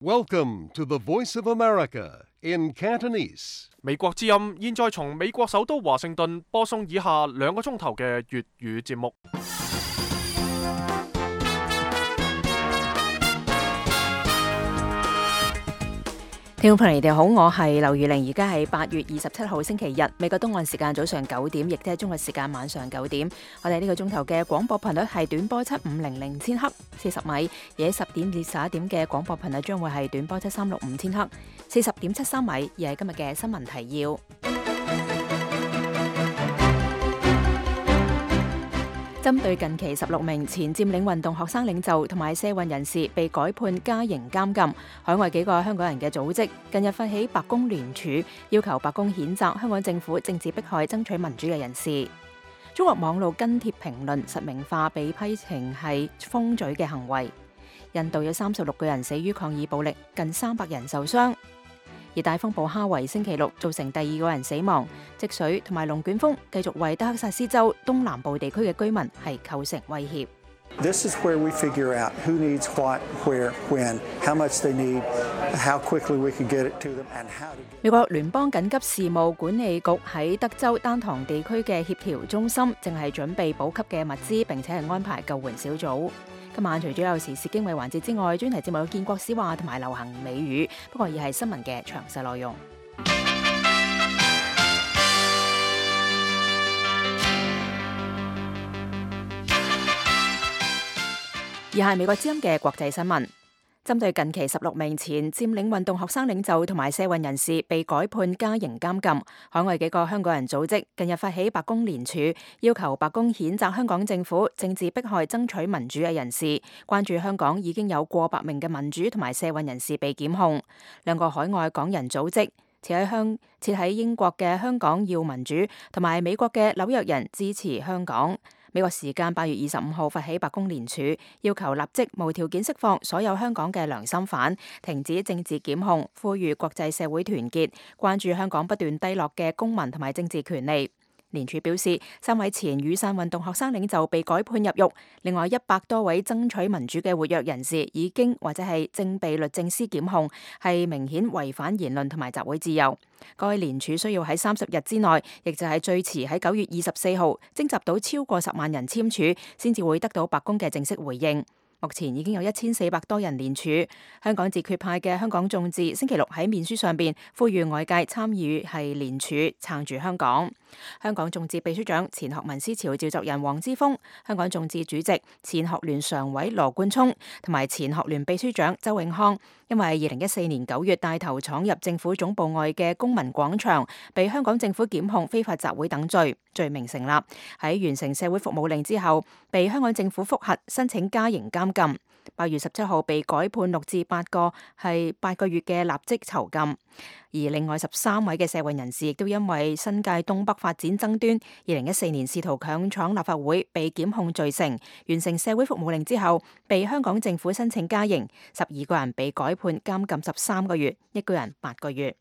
Welcome to the Voice of America in Cantonese. 美國之音現在從美國首都華盛頓播送以下2個鐘頭嘅粵語節目。聽眾朋友，你哋好，我係劉如玲，而家係8月27號星期日，美國東岸時間早上9點，亦都係中國時間晚上9點。我哋呢個鐘頭嘅廣播頻率係短波7500千赫40米，而喺10點至11點嘅廣播頻率將會係短波7365千赫40.73米，而係今日嘅新聞提要。針對近期16名前佔領運動學生領袖同埋社運人士被改判加刑監禁，海外幾個香港人嘅組織近日發起白宮聯署，要求白宮譴責香港政府政治迫害爭取民主嘅人士。中國網路跟帖評論實名化被批評係封嘴嘅行為。印度有36個人死於抗議暴力，近300人受傷。而大風暴哈維星期六造成第2個人死亡，積水同埋龍捲風繼續為德克薩斯州東南部地區嘅居民係構成威脅。This is where we figure out who needs what, where, when, how much they need, how quickly we can get it to them, and how to get it. 美國聯邦緊急事務管理局喺德州丹堂地區嘅協調中心正係準備補給嘅物資，並且係安排救援小組。今晚除咗有時事經緯環節之外，專題節目有建國史話同埋流行美語，不過而係新聞嘅詳細內容。而係美國之音嘅國際新聞。針對近期16名前佔領運動學生領袖同埋社運人士被改判加刑監禁，海外幾個香港人組織近日發起白宮聯署，要求白宮譴責香港政府政治迫害爭取民主嘅人士，關注香港已經有過百名嘅民主同埋社運人士被檢控。2個海外港人組織設喺英國嘅香港要民主同埋美國嘅紐約人支持香港。美國時間8月25號發起白宮聯署，要求立即無條件釋放所有香港嘅良心犯，停止政治檢控，呼籲國際社會團結，關注香港不斷低落嘅公民同埋政治權利。聯署表示，3位前雨傘運動學生領袖被改判入獄，另外100多位爭取民主嘅活躍人士已經或者係正被律政司檢控，係明顯違反言論同埋集會自由。該聯署需要喺30日之內，亦就係最遲喺9月24號徵集到超過10萬人簽署，先至會得到白宮嘅正式回應。目前已經有1400多人聯署。香港自決派嘅香港眾志星期六喺面書上邊呼籲外界參與係聯署撐住香港。香港眾志秘書長前學民思潮召集人黃之鋒、香港眾志主席前學聯常委羅冠聰同埋前學聯秘書長周永康，因為2014年9月帶頭闖入政府總部外嘅公民廣場，被香港政府檢控非法集會等罪，罪名成立。喺完成社會服務令之後，被香港政府覆核申請加刑監禁。8月17號被改判6至8個月嘅立即囚禁。而另外13位嘅社運人士亦都因為新界東北發展爭端，2014年試圖強闖立法會被檢控罪成，完成社會服務令之後被香港政府申請加刑，12個人被改判監禁13個月，1個人8個月。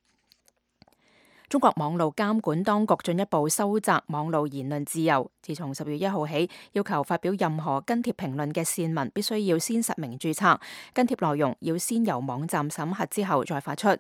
中國網路監管當局進一步收窄網路言論自由，自從10月1號起，要求發表任何跟帖評論嘅線民必須要先實名註冊，跟帖內容要先由網站審核之後再發出。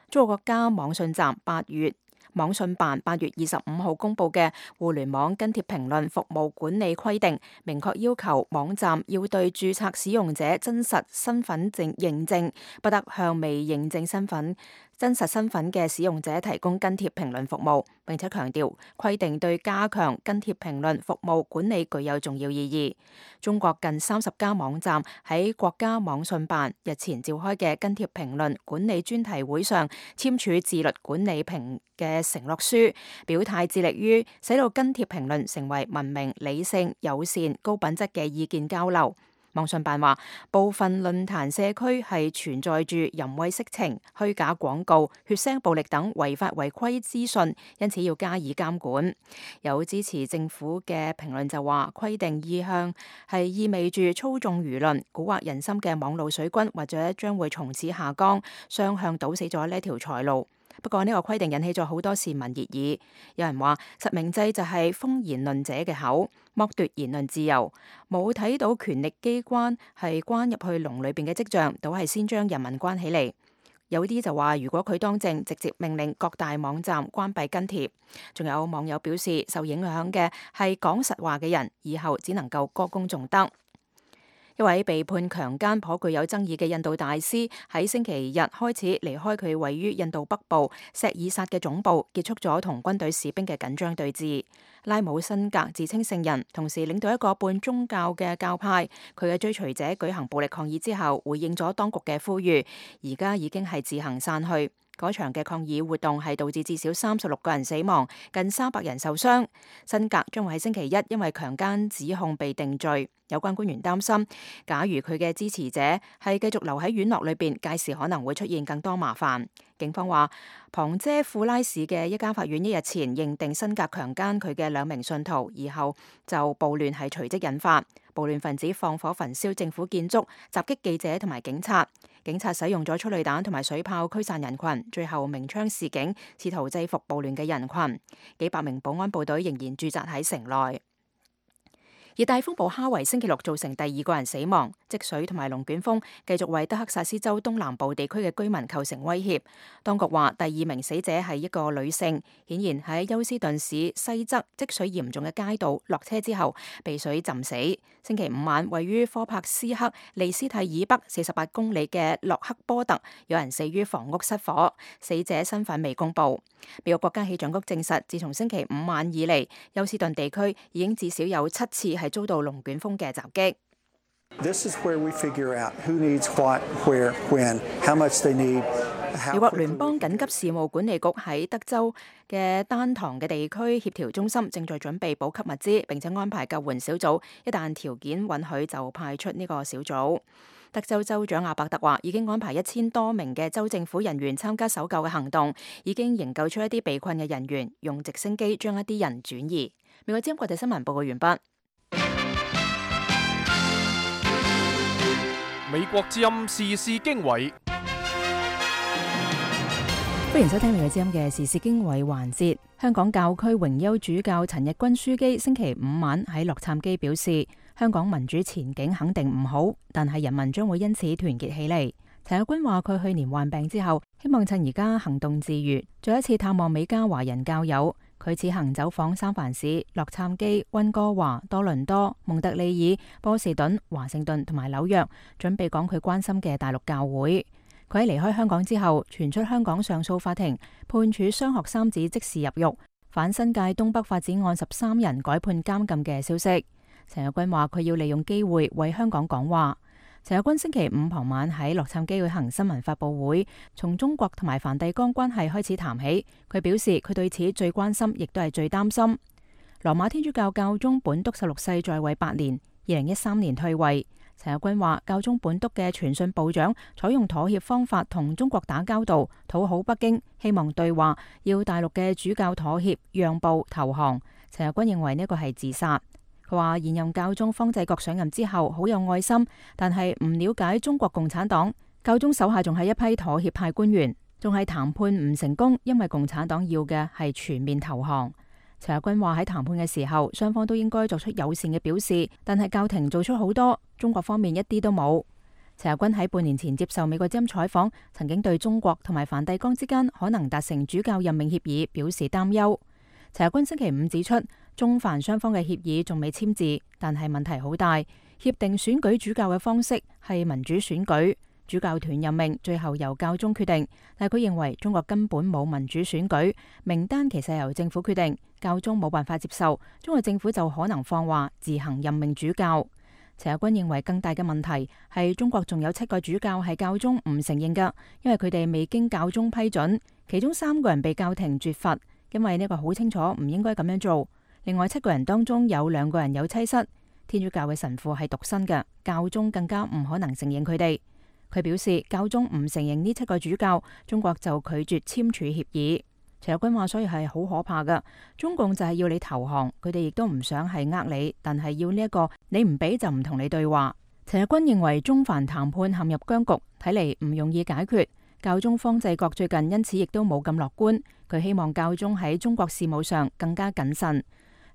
中國國家網信辦8月25號公布嘅互聯網跟帖評論服務管理規定，明確要求網站要對註冊使用者真實身份認證，不得向未認證真實身份嘅使用者提供跟帖評論服務，並且強調規定對加強跟帖評論服務管理具有重要意義。中國近30家網站喺國家網信辦日前召開嘅跟帖評論管理專題會上簽署自律管理嘅承諾書，表態致力於使到跟帖評論成為文明、理性、友善、高品質嘅意見交流。網信辦話，部分論壇社區係存在住淫穢色情、虛假廣告、血腥暴力等違法違規資訊，因此要加以監管。有支持政府嘅評論就話，規定意向係意味住操縱輿論、蠱惑人心嘅網路水軍，或者將會從此下崗，雙向堵死咗呢條財路。不過呢個規定引起咗好多市民熱議，有人話實名制就係封言論者嘅口，剝奪言論自由，冇睇到權力機關係關入去籠裏邊嘅跡象，倒係先將人民關起嚟。有啲就話如果佢當政，直接命令各大網站關閉跟帖。仲有網友表示，受影響嘅係講實話嘅人，以後只能夠歌功頌德。一位被判強姦頗具有爭議嘅印度大師喺星期日開始離開佢位於印度北部錫爾薩嘅總部，結束咗同軍隊士兵嘅緊張對峙。拉姆辛格自稱聖人，同時領導一個半宗教嘅教派，佢嘅追隨者舉行暴力抗議之後，回應咗當局嘅呼籲，而家已經係自行散去。嗰場嘅抗議活動係導致至少36個人死亡，近300人受傷。辛格將會喺星期一因為強姦指控被定罪。有關官員擔心，假如佢嘅支持者係繼續留喺院落裏邊，屆時可能會出現更多麻煩。警方話，旁遮庫拉市嘅一家法院一日前認定辛格強姦佢嘅2名信徒，以後就暴亂係隨即引發。暴亂分子放火焚燒政府建築，襲擊記者同埋警察。警察使用咗催淚彈同埋水炮驅散人群，最後鳴槍示警，試圖制服暴亂嘅人群。幾百名保安部隊仍然駐紮喺城內。熱帶風暴哈維星期六造成第2個人死亡，積水同埋龍捲風繼續為德克薩斯州東南部地區嘅居民構成威脅。當局話第2名死者係一個女性，顯然喺休斯頓市西側積水嚴重嘅街道落車之後被水浸死。星期5晚，位於科帕斯克利斯蒂以北48公里嘅洛克波特，有人死於房屋失火，死者身份未公布。美國國家氣象局證實，自從星期5晚以嚟，休斯頓地區已經至少有7次係遭到龍捲風嘅襲擊。This is where we figure out who needs what, where, when, how much they need. 美國聯邦緊急事務管理局喺德州嘅丹堂嘅地區協調中心正在準備補給物資，並且安排救援小組，一旦條件允許就派出呢個小組。德州州長阿伯特話，已經安排1000多名嘅州政府人員參加搜救嘅行動，已經營救出一啲被困嘅人員，用直升機將一啲人轉移。美國之音國際新聞報告完畢。美國之音時事經緯，歡迎收聽美國之音嘅時事經緯環節。香港教區榮休主教陳日君樞機星期5晚喺洛杉磯表示，香港民主前景肯定唔好，但係人民將會因此團結起嚟。陳日君話佢去年患病之後，希望趁而家行動自如，再一次探望美加華人教友。佢此行走訪三藩市、洛杉磯、溫哥華、多倫多、蒙特利爾、波士頓、華盛頓同埋紐約，準備講佢關心嘅大陸教會。佢喺離開香港之後，傳出香港上訴法庭判處雙學三子即時入獄，反新界東北發展案13人改判監禁嘅消息。陳日君話佢要利用機會為香港講話。陳日君星期5傍晚喺洛杉磯舉行新聞發佈會，從中國同埋梵蒂岡關係開始談起。佢表示佢對此最關心，亦都係最擔心。羅馬天主教教宗本篤16世在位8年，2013年退位。陳日君話教宗本篤嘅傳信部長採用妥協方法同中國打交道，討好北京，希望對話，要大陸嘅主教妥協、讓步、投降。陳日君認為呢個係自殺。佢話現任教宗方濟各上任之後好有愛心，但係唔了解中國共產黨。教宗手下仲係一批妥協派官員，仲係談判唔成功，因為共產黨要嘅係全面投降。陳日君話喺談判嘅時候，雙方都應該作出友善嘅表示，但係教廷做出好多，中國方面一啲都冇。陳日君喺半年前接受美國之音採訪，曾經對中國同埋梵蒂岡之間可能達成主教任命協議表示擔憂。陳日君星期5指出，中梵雙方嘅協議仲未簽字，但係問題好大。協定選舉主教嘅方式係民主選舉，主教團任命最後由教宗決定。但係佢認為中國根本冇民主選舉，名單其實係由政府決定，教宗冇辦法接受，中國政府就可能放話自行任命主教。陳日君認為更大嘅問題係中國仲有7個主教係教宗唔承認㗎，因為佢哋未經教宗批准，其中3個人被教廷絕罰，因為呢個好清楚唔應該咁樣做。另外7個人當中有2個人有妻室，天主教嘅神父係獨身嘅，教宗更加唔可能承認佢哋。佢表示教宗唔承認呢7個主教，中國就拒絕簽署協議。陳日君話所以係好可怕噶，中共就係要你投降，佢哋亦都唔想係你，但係要呢一個你唔俾就唔同你對話。陳日君認為中梵談判陷入僵局，睇嚟唔容易解決。教宗方濟各最近因此亦都冇咁樂觀，佢希望教宗喺中國事務上更加謹慎。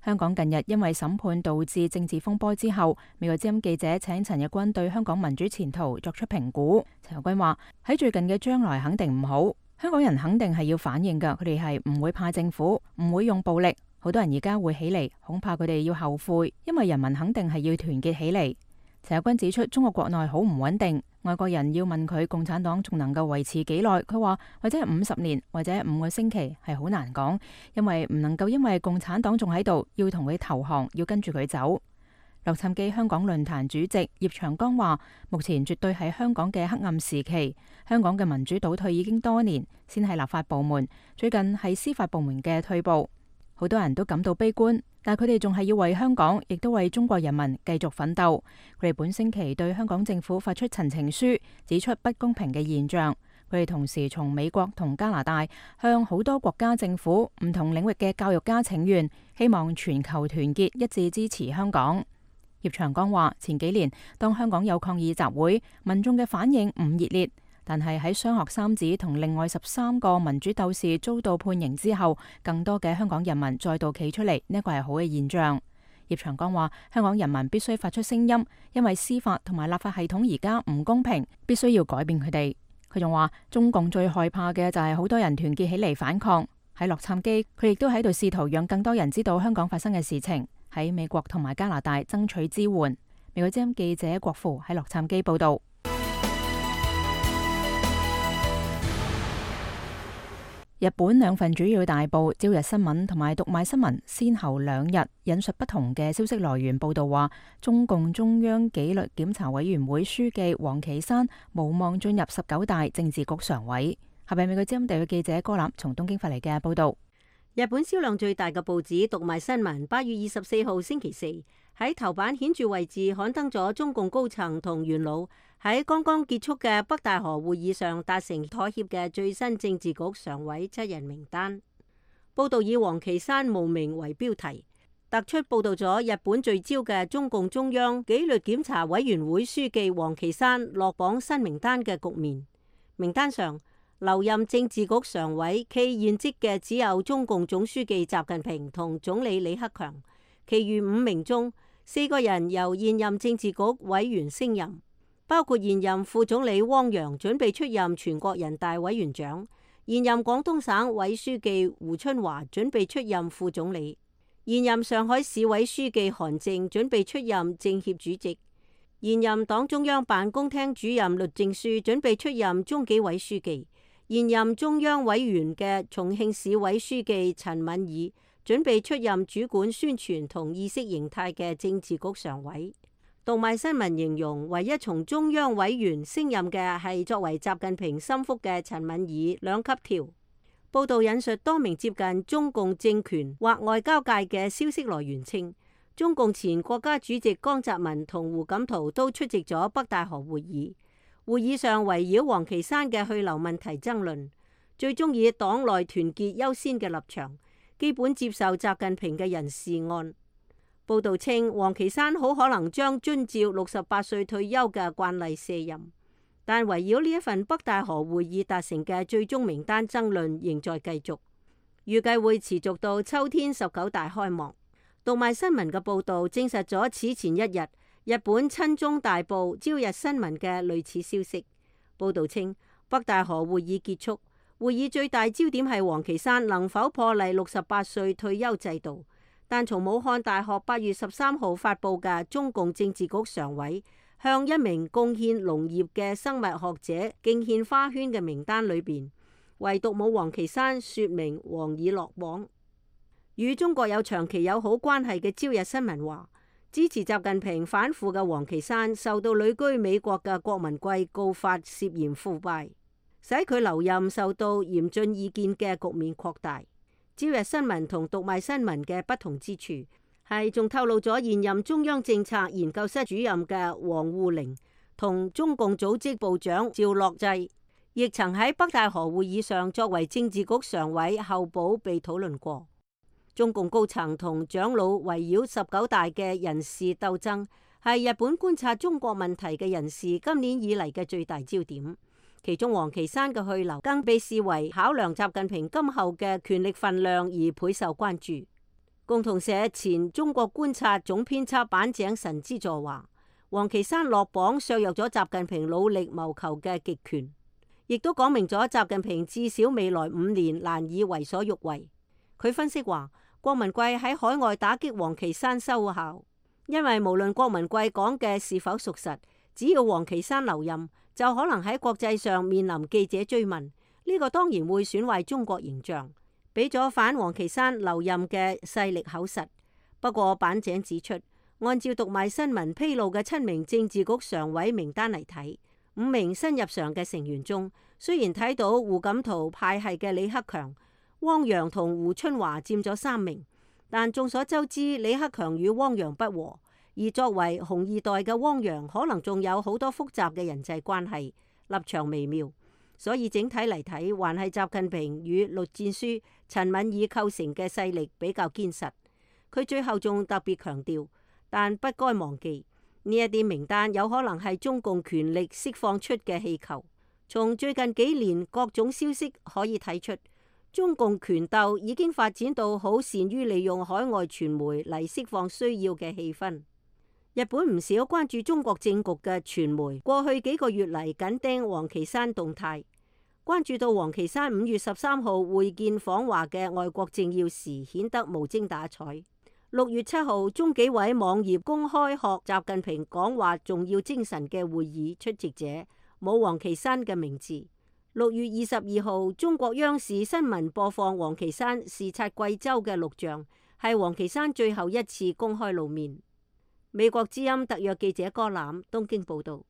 香港近日因為審判導致政治風波之後，美國之音記者請陳日君對香港民主前途作出評估。陳日君話：喺最近嘅將來肯定唔好，香港人肯定係要反應㗎，佢哋係唔會怕政府，唔會用暴力。好多人而家會起嚟，恐怕佢哋要後悔，因為人民肯定係要團結起嚟。陳日君指出，中國國內好唔穩定，外國人要問佢共產黨仲能夠維持幾耐，佢話或者係50年，或者5個星期，係好難講，因為唔能夠因為共產黨仲喺度，要同佢投降，要跟住佢走。洛杉磯香港論壇主席葉長江話：目前絕對係香港嘅黑暗時期，香港嘅民主倒退已經多年，先係立法部門，最近係司法部門嘅退步，好多人都感到悲觀。但佢哋仲係要為香港，亦都為中國人民繼續奮鬥。佢哋本星期對香港政府發出陳情書，指出不公平嘅現象。佢哋同時從美國同加拿大向好多國家政府、唔同領域嘅教育家請願，希望全球團結一致支持香港。葉長江話：前幾年當香港有抗議集會，民眾嘅反應唔熱烈。但係喺雙學三子同另外13個民主鬥士遭到判刑之後，更多嘅香港人民再度企出嚟，呢個係好嘅現象。葉長江話：香港人民必須發出聲音，因為司法同埋立法系統而家唔公平，必須要改變佢哋。佢仲話：中共最害怕嘅就係好多人團結起嚟反抗。喺洛杉磯，佢亦都喺度試圖讓更多人知道香港發生嘅事情，喺美國同埋加拿大爭取支援。美國之音記者郭芙喺洛杉磯報道。日本兩份主要大報《朝日新聞》同埋《讀賣新聞》先後2日引述不同嘅消息來源報道話，中共中央紀律檢查委員會書記王岐山無望進入19大政治局常委。下邊美國之音地區記者柯立從東京發嚟嘅報道。日本銷量最大嘅報紙《讀賣新聞》8月24號星期四喺頭版顯著位置刊登咗中共高層同元老喺剛剛結束嘅北戴河會議上達成妥協嘅最新政治局常委7人名單。報道以王岐山無名為標題，突出報道咗日本聚焦嘅中共中央紀律檢查委員會書記王岐山落榜新名單嘅局面。名單上留任政治局常委暨現職嘅只有中共總書記習近平同總理李克強，其餘5名中4個人由現任政治局委員升任，包括現任副總理汪洋準備出任全國人大委員長，現任廣東省委書記胡春華準備出任副總理，現任上海市委書記韓正準備出任政協主席，現任黨中央辦公廳主任栗戰書準備出任中紀委書記，現任中央委員嘅重慶市委書記陳敏爾準備出任主管宣傳同意識形態嘅政治局常委。讀賣新聞形容，唯一從中央委員升任嘅係作為習近平心腹嘅陳敏爾2級跳。報道引述多名接近中共政權或外交界嘅消息來源稱，中共前國家主席江澤民同胡錦濤都出席咗北戴河會議。會議上圍繞王岐山嘅去留問題爭論，最終以黨內團結優先嘅立場，基本接受習近平嘅人事案。報道稱，王岐山好可能將遵照68歲退休嘅慣例卸任，但圍繞呢一份北戴河會議達成嘅最終名單爭論仍在繼續，預計會持續到秋天19大開幕。讀賣新聞嘅報導證實咗此前一日日本親中大報《朝日新聞》嘅類似消息。報導稱，北戴河會議結束，會議最大焦點係王岐山能否破例68歲退休制度。但從武漢大學8月13號發布嘅中共政治局常委向一名貢獻農業嘅生物學者敬獻花圈嘅名單裏邊，唯獨冇王岐山說明王已落榜。與中國有長期友好關係嘅朝日新聞話，支持習近平反腐嘅王岐山受到旅居美國嘅郭文貴告發涉嫌腐敗，使佢留任受到嚴峻意見嘅局面擴大。朝日新聞同讀賣新聞嘅不同之處係仲透露咗現任中央政策研究室主任嘅王滬寧同中共組織部長趙樂際亦曾喺北戴河會議上作為政治局常委候補被討論過。中共高層同長老圍繞19大嘅人事鬥爭係日本觀察中國問題嘅人士今年以嚟嘅最大焦點。其中王岐山嘅去留更被視為考量習近平今後嘅權力分量而倍受關注。共同社前中國觀察總編輯板井神之助話，王岐山落榜削弱咗習近平努力謀求嘅極權，亦都講明咗習近平至少未來5年難以為所欲為。佢分析話，郭文貴喺海外打擊王岐山收效，因為無論郭文貴講嘅是否屬實，只要王岐山留任，就可能喺國際上面臨記者追問，呢個當然會損壞中國形象，俾咗反王岐山留任嘅勢力口實。不過板井指出，按照讀賣新聞披露嘅7名政治局常委名單嚟睇，5名新入常嘅成員中，雖然睇到胡錦濤派系嘅李克強、汪洋同胡春華佔咗3名，但眾所周知，李克強與汪洋不和，而作為紅二代嘅汪洋可能仲有好多複雜嘅人際關係，立場微妙，所以整體嚟睇，還係習近平與栗戰書、陳敏爾構成嘅勢力比較堅實。佢最後仲特別強調，但不該忘記呢一啲名單有可能係中共權力釋放出嘅氣球。從最近幾年各種消息可以睇出，中共權鬥已經發展到好善於利用海外傳媒嚟釋放需要嘅氣氛。日本唔少關注中國政局嘅傳媒，過去幾個月嚟緊盯王岐山動態，關注到王岐山5月13號會見訪華嘅外國政要時，顯得無精打采。6月7號，中紀委網頁公開學習近平講話重要精神嘅會議出席者冇王岐山嘅名字。6月22號，中國央視新聞播放王岐山視察貴州嘅錄像，係王岐山最後一次公開露面。美國之音特約記者柯攬東京報道。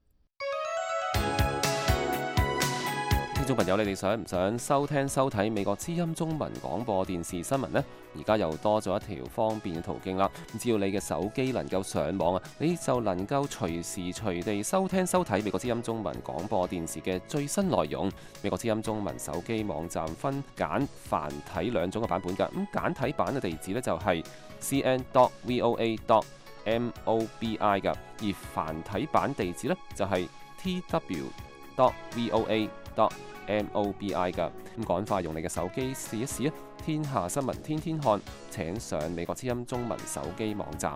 聽眾朋友，你哋想唔想收聽收睇美國之音中文廣播電視新聞呢？而家又多咗一條方便嘅途徑啦！只要你嘅手機能夠上網啊，你就能夠隨時隨地收聽收睇美國之音中文廣播電視嘅最新內容。美國之音中文手機網站分簡繁體2種嘅版本㗎。咁簡體版嘅地址呢，就係 cn.voa.mobi 㗎，而繁體版地址呢，就係 tw.voa.mobi 㗎。咁趕快用你嘅手機試一試啊！天下新聞天天看，請上美國之音中文手機網站。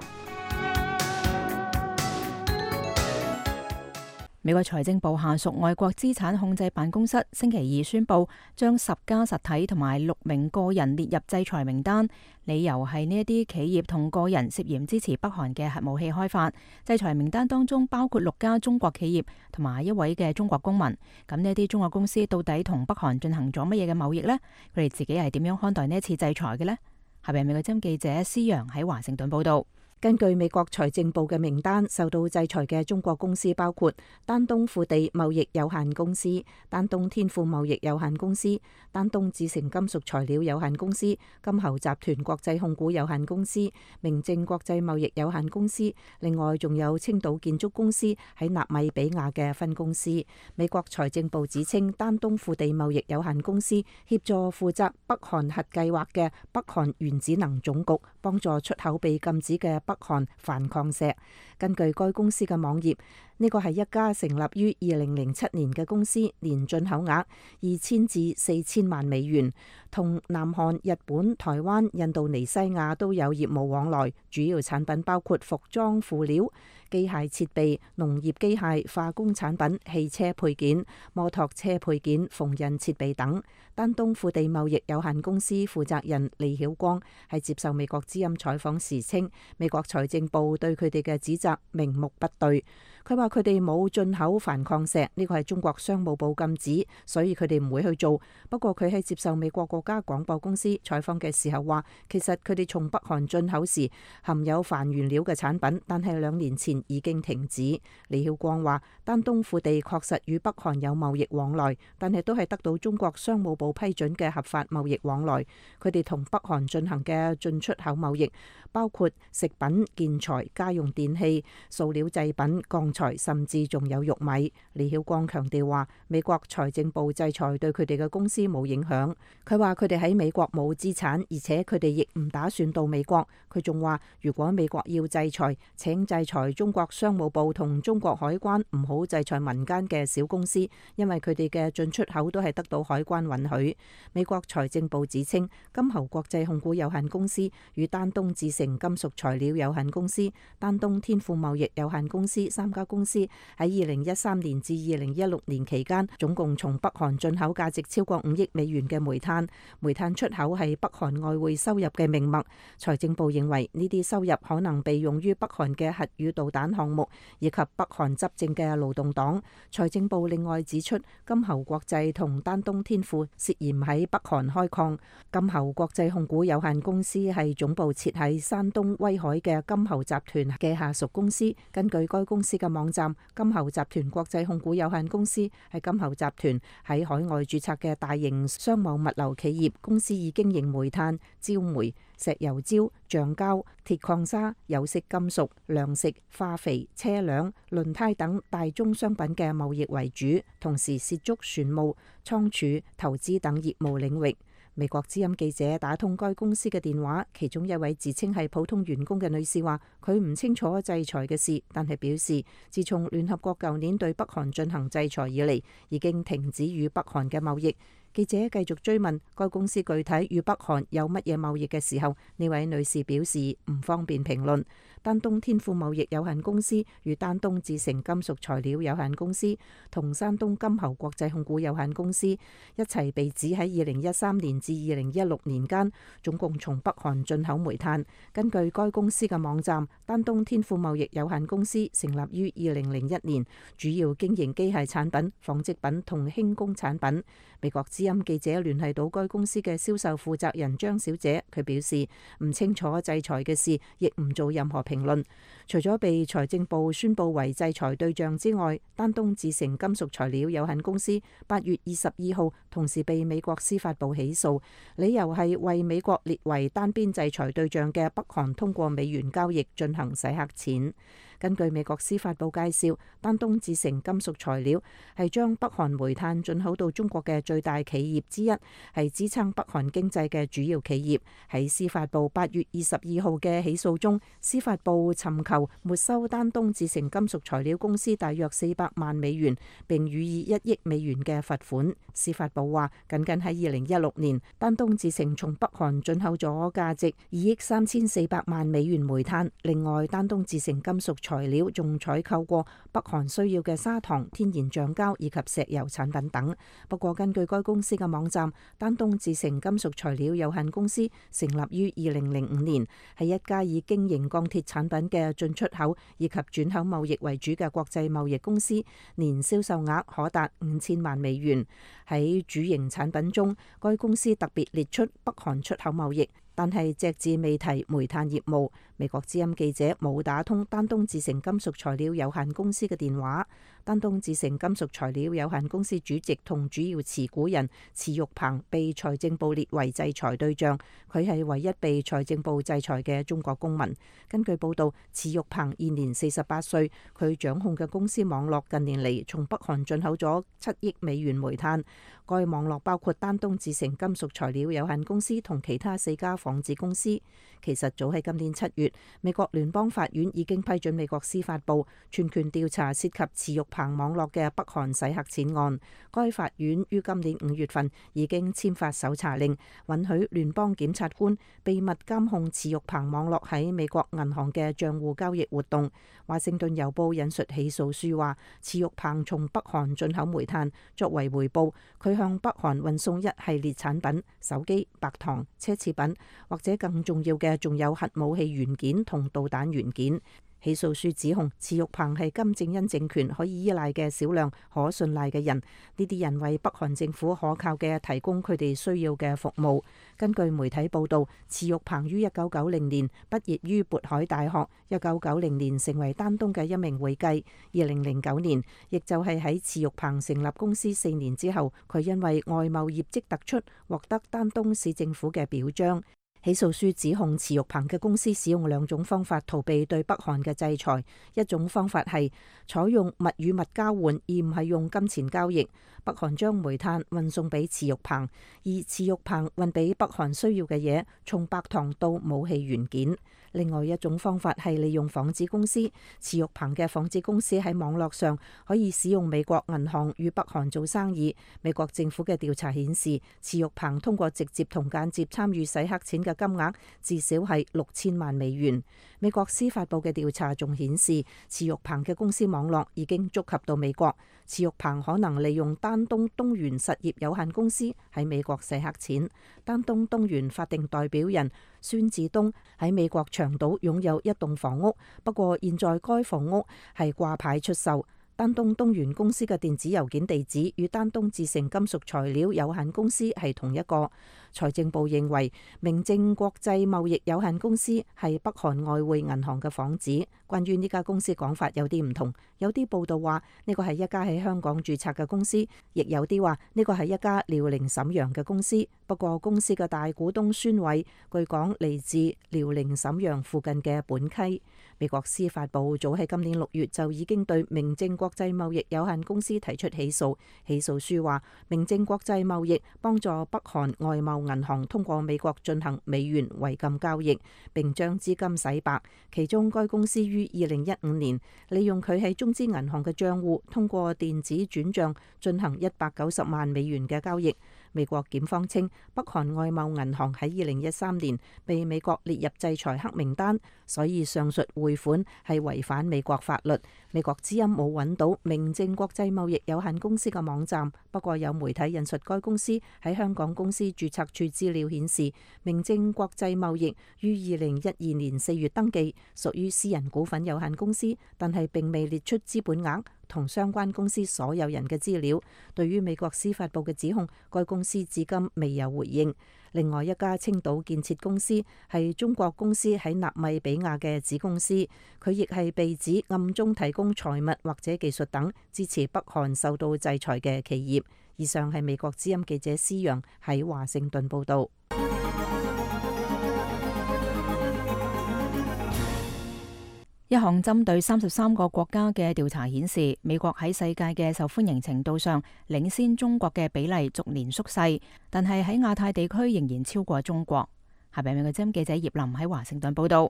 美國財政部下屬外國資產控制辦公室星期2宣布，將10家實體同埋6名個人列入制裁名單，理由係呢一啲企業同個人涉嫌支持北韓嘅核武器開發。制裁名單當中包括6家中國企業同埋1位嘅中國公民。咁呢一啲中國公司到底同北韓進行咗乜嘢嘅貿易呢？佢哋自己係點樣看待呢一次制裁嘅呢？下邊美國之音記者施洋喺華盛頓報道。根據美國財政部嘅名單，受到制裁嘅中國公司包括丹東富地貿易有限公司、丹東天富貿易有限公司、丹東致成金屬材料有限公司、金猴集團國際控股有限公司、明正國際貿易有限公司，另外仲有青島建築公司喺納米比亞嘅分公司。美國財政部指稱，丹東富地貿易有限公司協助負責北韓核計劃嘅北韓原子能總局，幫助出口被禁止嘅北韓鈿礦石。根據該公司嘅網頁，呢個係一家成立於2007年嘅公司，年進口額2000至4000萬美元，同南韓、日本、台灣、印度尼西亞都有業務往來。主要產品包括服裝輔料、機械設備、農業機械、化工產品、汽車配件、摩托車配件、縫紉設備等。丹東富地貿易有限公司負責人李曉光係接受美國之音採訪時稱，美國財政部對佢哋嘅指責明目不對。佢話佢哋冇進口鈿礦石，呢個係中國商務部禁止，所以佢哋唔會去做。不過佢喺接受美國國家廣播公司採訪嘅時候話，其實佢哋從北韓進口時含有鈿原料嘅產品，但係2年前已經停止。李曉光話，丹東富地確實與北韓有貿易往來，但係都係得到中國商務部批准嘅合法貿易往來。佢哋同北韓進行嘅進出口貿易包括食品、建材、家用電器、塑料製品、鋼材、裁，甚至仲有玉米。李曉光強調話，美國財政部制裁對佢哋嘅公司冇影響。佢話佢哋喺美國冇資產，而且佢哋亦唔打算到美國。佢仲話，如果美國要制裁，請制裁中國商務部同中國海關，唔好制裁民間嘅小公司，因為佢哋嘅進出口都係得到海關允許。美國財政部指稱，金猴國際控股有限公司與丹東智成金屬材料有限公司、丹東天賦貿易有限公司三家公司喺2013年至2016年期間，總共從北韓進口價值超過5億美元嘅煤炭。煤炭出口係北韓外匯收入嘅命脈。財政部認為呢啲收入可能被用於北韓嘅核與導彈項目，以及北韓執政嘅勞動黨。財政部另外指出，金猴國際同丹東天賦涉嫌喺北韓開礦。金猴國際控股有限公司係總部設喺山東威海嘅金猴集團嘅下屬公司。根據該公司嘅網站，金猴集團國際控股有限公司係金猴集團喺海外註冊嘅大型商務物流企業。公司以經營煤炭、焦煤、石油焦、橡膠、鐵礦砂、有色金屬、糧食、化肥、車輛、輪胎等大宗商品嘅貿易為主，同時涉足船務、倉儲、投資等業務領域。美國之音記者打通該公司嘅電話，其中一位自稱係普通員工嘅女士話，佢唔清楚制裁嘅事，但係表示自從聯合國舊年對北韓進行制裁以嚟，已經停止與北韓嘅貿易。記者繼續追問該公司具體與北韓有乜嘢貿易嘅時候，呢位女士表示唔方便評論。丹東天賦貿易有限公司與丹東智成金屬材料有限公司同山東金猴國際控股有限公司一齊被指喺2013年至2016年間總共從北韓進口煤炭。根據該公司嘅網站，丹東天賦貿易有限公司成立於2001年，主要經營機械產品、紡織品同輕工產品。美國之音記者聯繫到該公司嘅銷售負責人張小姐，佢表示唔清楚制裁嘅事，亦唔做任何評論。除咗被財政部宣佈為制裁對象之外，丹東智成金屬材料有限公司8月22號同時被美國司法部起訴，理由係為美國列為單邊制裁對象嘅北韓通過美元交易進行洗黑錢。根據美國司法部介紹，丹東智成金屬材料係將北韓煤炭進口到中國嘅最大企業之一，係支撐北韓經濟嘅主要企業。喺司法部8月22號嘅起訴中，司法部尋求沒收丹東智成金屬材料公司大約400萬美元，並予以1億美元嘅罰款。司法部話，僅喺2016年，丹東智成從北韓進口咗價值2億3400萬美元煤炭。另外，丹東智成金屬材料仲採購過北韓需要嘅砂糖、天然橡膠以及石油產品等。不過，根據該公司嘅網站，丹東智成金屬材料有限公司成立於2005年，係一家以經營鋼鐵產品嘅進出口以及轉口貿易為主嘅國際貿易公司，年銷售額可達5000萬美元。喺主營產品中，該公司特別列出北韓出口貿易，但係隻字未提煤炭業務。美國之音記者冇打通丹東智成金屬材料有限公司嘅電話。丹東智成金屬材料有限公司主席同主要持股人池玉鵬被財政部列為制裁對象，佢係唯一被財政部制裁嘅中國公民。根據報道，池玉鵬現年48歲，佢掌控嘅公司網絡近年嚟從北韓進口咗7億美元煤炭。該網絡包括丹東智成金屬材料有限公司同其他4家紡織公司。其實早喺今年7月，美國聯邦法院已經批准美國司法部全權調查涉及池玉鵬網絡嘅北韓洗黑錢案。該法院於今年5月份已經簽發搜查令，允許聯邦檢察官秘密監控池玉鵬網絡喺美國銀行嘅賬戶交易活動。華盛頓郵報引述起訴書話，池玉鵬從北韓進口煤炭，作為回報，佢向北韓運送一系列產品，手機、白糖、奢侈品，或者更重要嘅仲有核武器元件同導彈元件。起訴書指控池玉鵬係金正恩政權可以依賴嘅少量可信賴嘅人，呢啲人為北韓政府可靠嘅提供佢哋需要嘅服務。根據媒體報道，池玉鵬於1990年畢業於渤海大學，1990年成為丹東嘅一名會計。2009年，亦就係喺池玉鵬成立公司4年之後，佢因為外貿業績突出，獲得丹東市政府嘅表彰。起訴書指控池玉鵬嘅公司使用兩種方法逃避對北韓嘅制裁，一種方法係採用物與物交換，而唔係用金錢交易。北韓將煤炭運送俾池玉鵬，而池玉鵬運俾北韓需要嘅嘢，從白糖到武器元件。另外一種方法係利用幌子公司，池玉鵬嘅幌子公司喺網絡上可以使用美國銀行與北韓做生意。美國政府嘅調查顯示，池玉鵬通過直接同間接參與洗黑錢嘅金額至少係6000萬美元。美國司法部嘅調查仲顯示，池玉鵬嘅公司網絡已經觸及到美國。池玉鵬可能利用丹東東元實業有限公司喺美國洗黑錢。丹東東元法定代表人孫志東喺美國長島擁有一棟房屋，不過現在該房屋係掛牌出售。丹東東元公司嘅電子郵件地址與丹東致成金屬材料有限公司係同一個。財政部認為明正國際貿易有限公司係北韓外匯銀行嘅幌子。關於呢家公司講法有啲唔同，有啲報道話呢個係一家喺香港註冊嘅公司，亦有啲話呢個係一家遼寧瀋陽嘅公司。不過公司嘅大股東孫偉據講嚟自遼寧瀋陽附近嘅本溪。美國司法部早喺今年6月就已經對明正國際貿易有限公司提出起訴。起訴書話，明正國際貿易幫助北韓外貿銀行通過美國進行美元違禁交易，並將資金洗白。其中該公司於2015年利用佢喺中資銀行嘅賬戶，通過電子轉賬進行190萬美元嘅交易。美國檢方稱，北韓外貿銀行喺2013年被美國列入制裁黑名單，所以上述匯款係違反美國法律。美國之音冇揾到明正國際貿易有限公司嘅網站，不過有媒體引述該公司喺香港公司註冊處資料顯示，明正國際貿易於2012年4月登記，屬於私人股份有限公司，但係並未列出資本額同相關公司所有人嘅資料。對於美國司法部嘅指控，該公司至今未有回應。另外一家青島建設公司係中國公司喺納米比亞嘅子公司，佢亦係被指暗中提供財物或者技術等支持北韓受到制裁嘅企業。以上係美國之音記者施陽喺華盛頓報導。一項針對33個國家嘅調查顯示，美國喺世界嘅受歡迎程度上領先中國嘅比例逐年縮細，但係喺亞太地區仍然超過中國。下邊美國之音記者葉林喺華盛頓報導。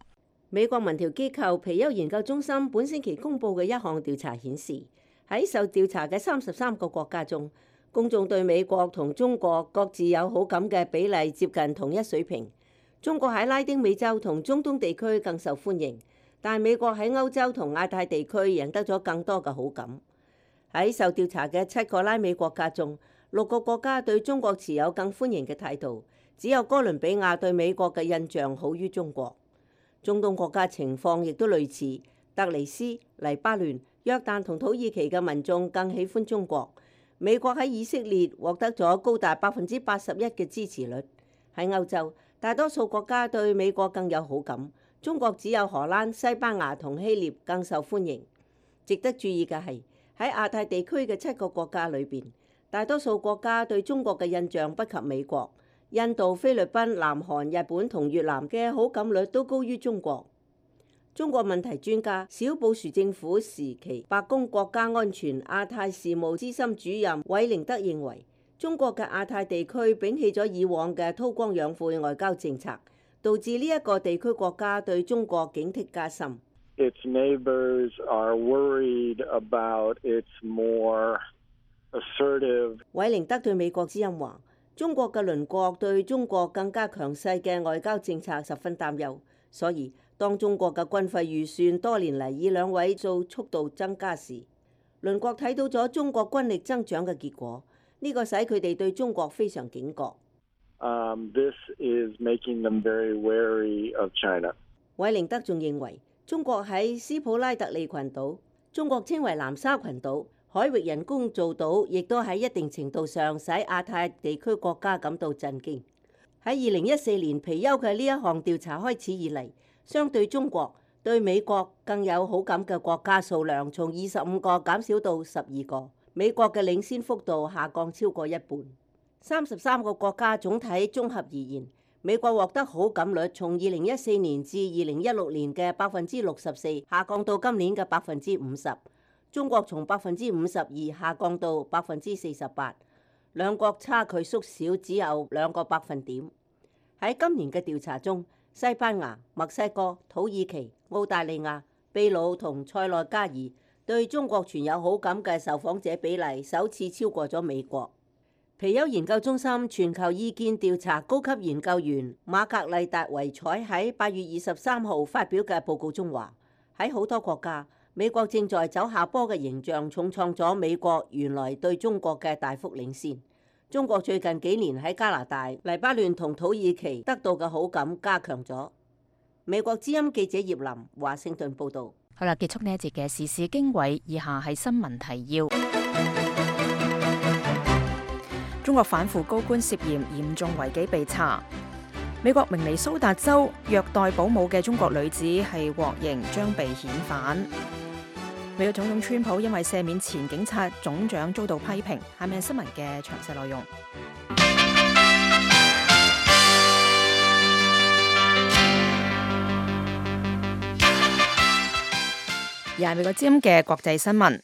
美國民調機構皮尤研究中心本星期公佈嘅一項調查顯示，喺受調查嘅33個國家中，公眾對美國同中國各自有好感嘅比例接近同一水平。中國喺拉丁美洲同中東地區更受歡迎，但美國喺歐洲同亞太地區贏得咗更多嘅好感。喺受調查嘅7個拉美國家中，6個國家對中國持有更歡迎嘅態度，只有哥倫比亞對美國嘅印象好於中國。中東國家情況亦都類似，突尼斯、黎巴嫩、約旦同土耳其嘅民眾更喜歡中國。美國喺以色列獲得咗高達81%嘅支持率。喺歐洲，大多數國家對美國更有好感。中國只有荷蘭、西班牙同希臘更受歡迎。值得注意嘅係，喺亞太地區嘅7個國家裏邊，大多數國家對中國嘅印象不及美國。印度、菲律賓、南韓、日本同越南嘅好感率都高於中國。中國問題專家、小布殊政府時期白宮國家安全亞太事務資深主任韋寧德認為，中國嘅亞太地區摒棄咗以往嘅韜光養晦外交政策，導致呢一個地區國家對中國警惕加深。Its neighbors are worried about its more assertive。韋寧德對美國之音話，中國嘅鄰國對中國更加強勢嘅外交政策十分擔憂，所以當中國嘅軍費預算多年嚟以2位數速度增加時，鄰國睇到咗中國軍力增長嘅結果，呢個使佢哋對中國非常警覺。This is making them very wary of China。韋寧德仲認為，中國喺斯普拉特利群島，中國稱為南沙群島，海域人工造島，亦都喺一定程度上使亞太地區國家感到震驚。喺2014年皮尤嘅呢一項調查開始以嚟，相對中國對美國更有好感嘅國家數量從25個減少到12個，美國嘅領先幅度下降超過一半。33個國家總體綜合而言，美國獲得好感率從2014年至2016年嘅64%下降到今年嘅50%，中國從52%下降到48%，兩國差距縮小只有2個百分點。喺今年嘅調查中，西班牙、墨西哥、土耳其、澳大利亞、秘魯同塞內加爾對中國存有好感嘅受訪者比例首次超過咗美國。皮尤研究中心全球意見調查高級研究員瑪格麗達維采喺8月23號發表嘅報告中話，喺好多國家，美國正在走下坡嘅形象重創咗美國原來對中國嘅大幅領先。中國最近幾年喺加拿大、黎巴嫩同土耳其得到嘅好感加強咗。美國之音記者葉琳華盛頓報導。好啦，結束呢一節嘅時事經緯，以下係新聞提要。中國反腐高官涉嫌嚴重違紀被查。美國明尼蘇達州虐待保姆嘅中國女子係獲刑，將被遣返。美國總統川普因為赦免前警察總長遭到批評。下面係新聞嘅詳細內容。而係美國之音嘅國際新聞。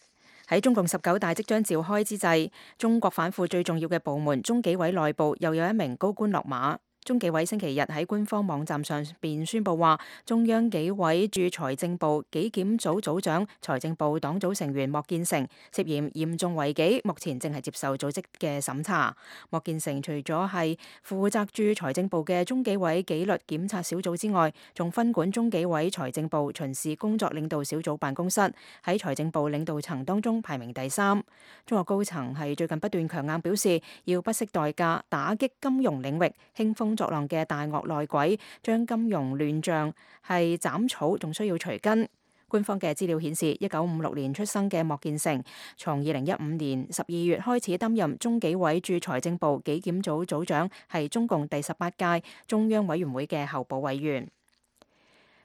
喺中共19大即將召開之際，中國反腐最重要嘅部門中紀委內部又有一名高官落馬。中紀委星期日喺官方網站上邊宣布話，中央紀委駐財政部紀檢組組長、財政部黨組成員莫建成涉嫌嚴重違紀，目前正係接受組織嘅審查。莫建成除咗係負責駐財政部嘅中紀委紀律檢察小組之外，仲分管中紀委財政部巡視工作領導小組辦公室，喺財政部領導層當中排名第3。中國高層係最近不斷強硬表示，要不惜代價打擊金融領域興風作浪嘅大鱷內鬼，將金融亂象係斬草，仲需要除根。官方嘅資料顯示，1956年出生嘅莫建成，從2015年12月開始擔任中紀委駐財政部紀檢組組長，係中共第18屆中央委員會嘅候補委員。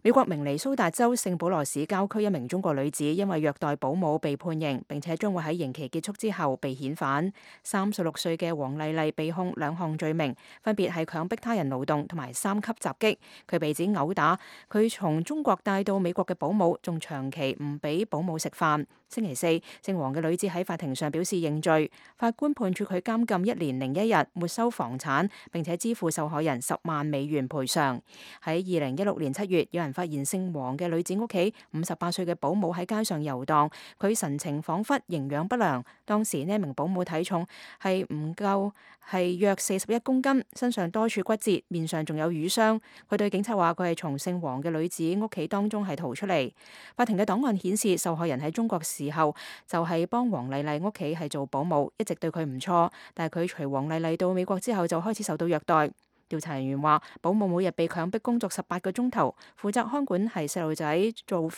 美國明尼蘇達州聖保羅市郊區一名中國女子因為虐待保姆被判刑，並且將會喺刑期結束之後被遣返。36歲嘅黃麗麗被控2項罪名，分別係強迫他人勞動同埋3級襲擊。佢被指毆打佢從中國帶到美國嘅保姆，仲長期唔俾保姆食飯。星期四，姓黃嘅女子喺法庭上表示認罪，法官判處佢監禁1年01日，沒收房產，並且支付受害人10萬美元賠償。喺2016年7月，有人發現姓黃嘅女子屋企58歲嘅保姆喺街上遊蕩，佢神情恍惚，營養不良。當時呢名保姆體重係唔夠，係約41公斤，身上多處骨折，面上仲有瘀傷。佢對警察話佢係從姓黃嘅女子屋企當中係逃出嚟。法庭嘅檔案顯示，受害人喺中國時候就係幫黃麗麗屋企係做保姆，一直對佢唔錯，但係佢隨黃麗麗到美國之後就開始受到虐待。調查人員話，保姆每日被強迫工作18個鐘頭，負責看管係細路仔做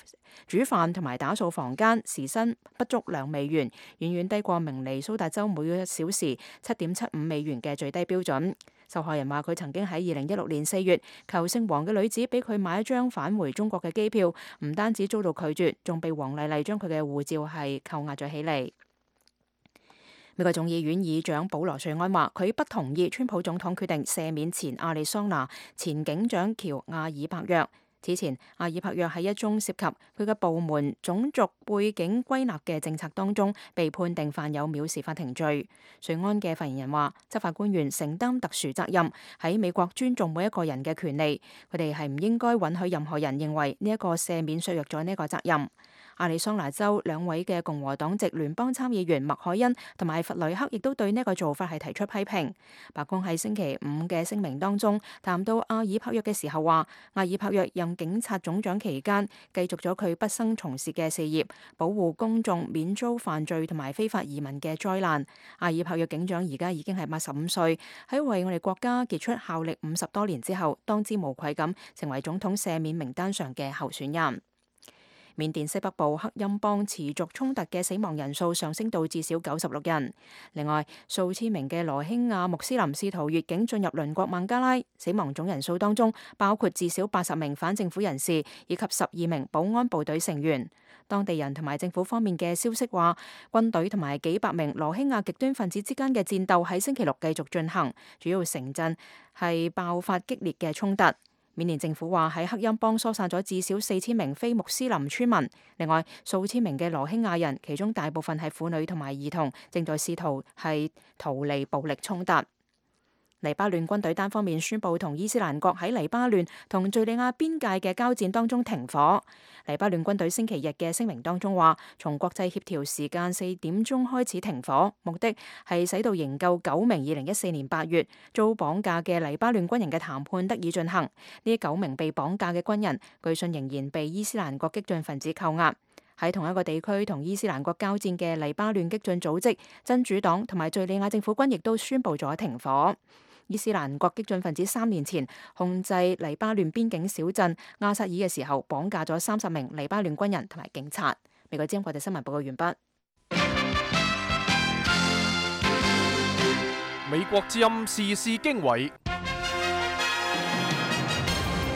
煮飯同埋打掃房間，時薪不足2美元，遠遠低過明尼蘇達州每個小時7.75美元嘅最低標準。受害人話佢曾經喺2016年4月求姓黃嘅女子俾佢買一張返回中國嘅機票，唔單止遭到拒絕，仲被黃麗麗將佢嘅護照係扣押咗起嚟。美國眾議院議長保羅瑞安話，佢不同意川普總統決定赦免前亞利桑那前警長喬亞爾柏約。此前，亞爾柏約喺一宗涉及佢嘅部門種族背景歸納嘅政策當中，被判定犯有藐視法庭罪。瑞安嘅發言人話，執法官員承擔特殊責任，喺美國尊重每一個人嘅權利，佢哋係唔應該允許任何人認為呢一個赦免削弱咗呢一個責任。亞利桑那州2位嘅共和黨籍聯邦參議員麥凱恩同埋弗雷克亦都對呢個做法係提出批評。白宮喺星期5嘅聲明當中談到亞爾柏約嘅時候話，亞爾柏約任警察總長期間繼續咗佢畢生從事嘅事業，保護公眾免遭犯罪同埋非法移民嘅災難。亞爾柏約警長而家已經係85歲，喺為我哋國家傑出效力50多年之後，當之無愧咁成為總統赦免名單上嘅候選人。緬甸西北部克欽邦持續衝突嘅死亡人數上升到至少96人。另外，數千名嘅羅興亞穆斯林試圖越境進入鄰國孟加拉，死亡總人數當中包括至少80名反政府人士以及12名保安部隊成員。當地人同埋政府方面嘅消息話，軍隊同埋幾百名羅興亞極端分子之間嘅戰鬥喺星期六繼續進行，主要城鎮係爆發激烈嘅衝突。緬甸政府話喺克欽邦疏散咗至少4000名非穆斯林村民，另外數千名嘅羅興亞人，其中大部分係婦女同埋兒童，正在試圖係逃離暴力衝突。黎巴嫩軍隊單方面宣布同伊斯蘭國喺黎巴嫩同敘利亞邊界嘅交戰當中停火。黎巴嫩軍隊星期日嘅聲明當中話，從國際協調時間4點鐘開始停火，目的係使到營救9名2014年8月遭綁架嘅黎巴嫩軍人嘅談判得以進行。呢9名被綁架嘅軍人，據信仍然被伊斯蘭國激進分子扣押。喺同一個地區同伊斯蘭國交戰嘅黎巴嫩激進組織真主黨同埋敘利亞政府軍亦都宣布咗停火。伊斯蘭國激進分子3年前控制黎巴嫩邊境小鎮阿薩爾嘅時候，綁架咗30名黎巴嫩軍人同埋警察。美國之音國際新聞報告完畢。美國之音時事經緯，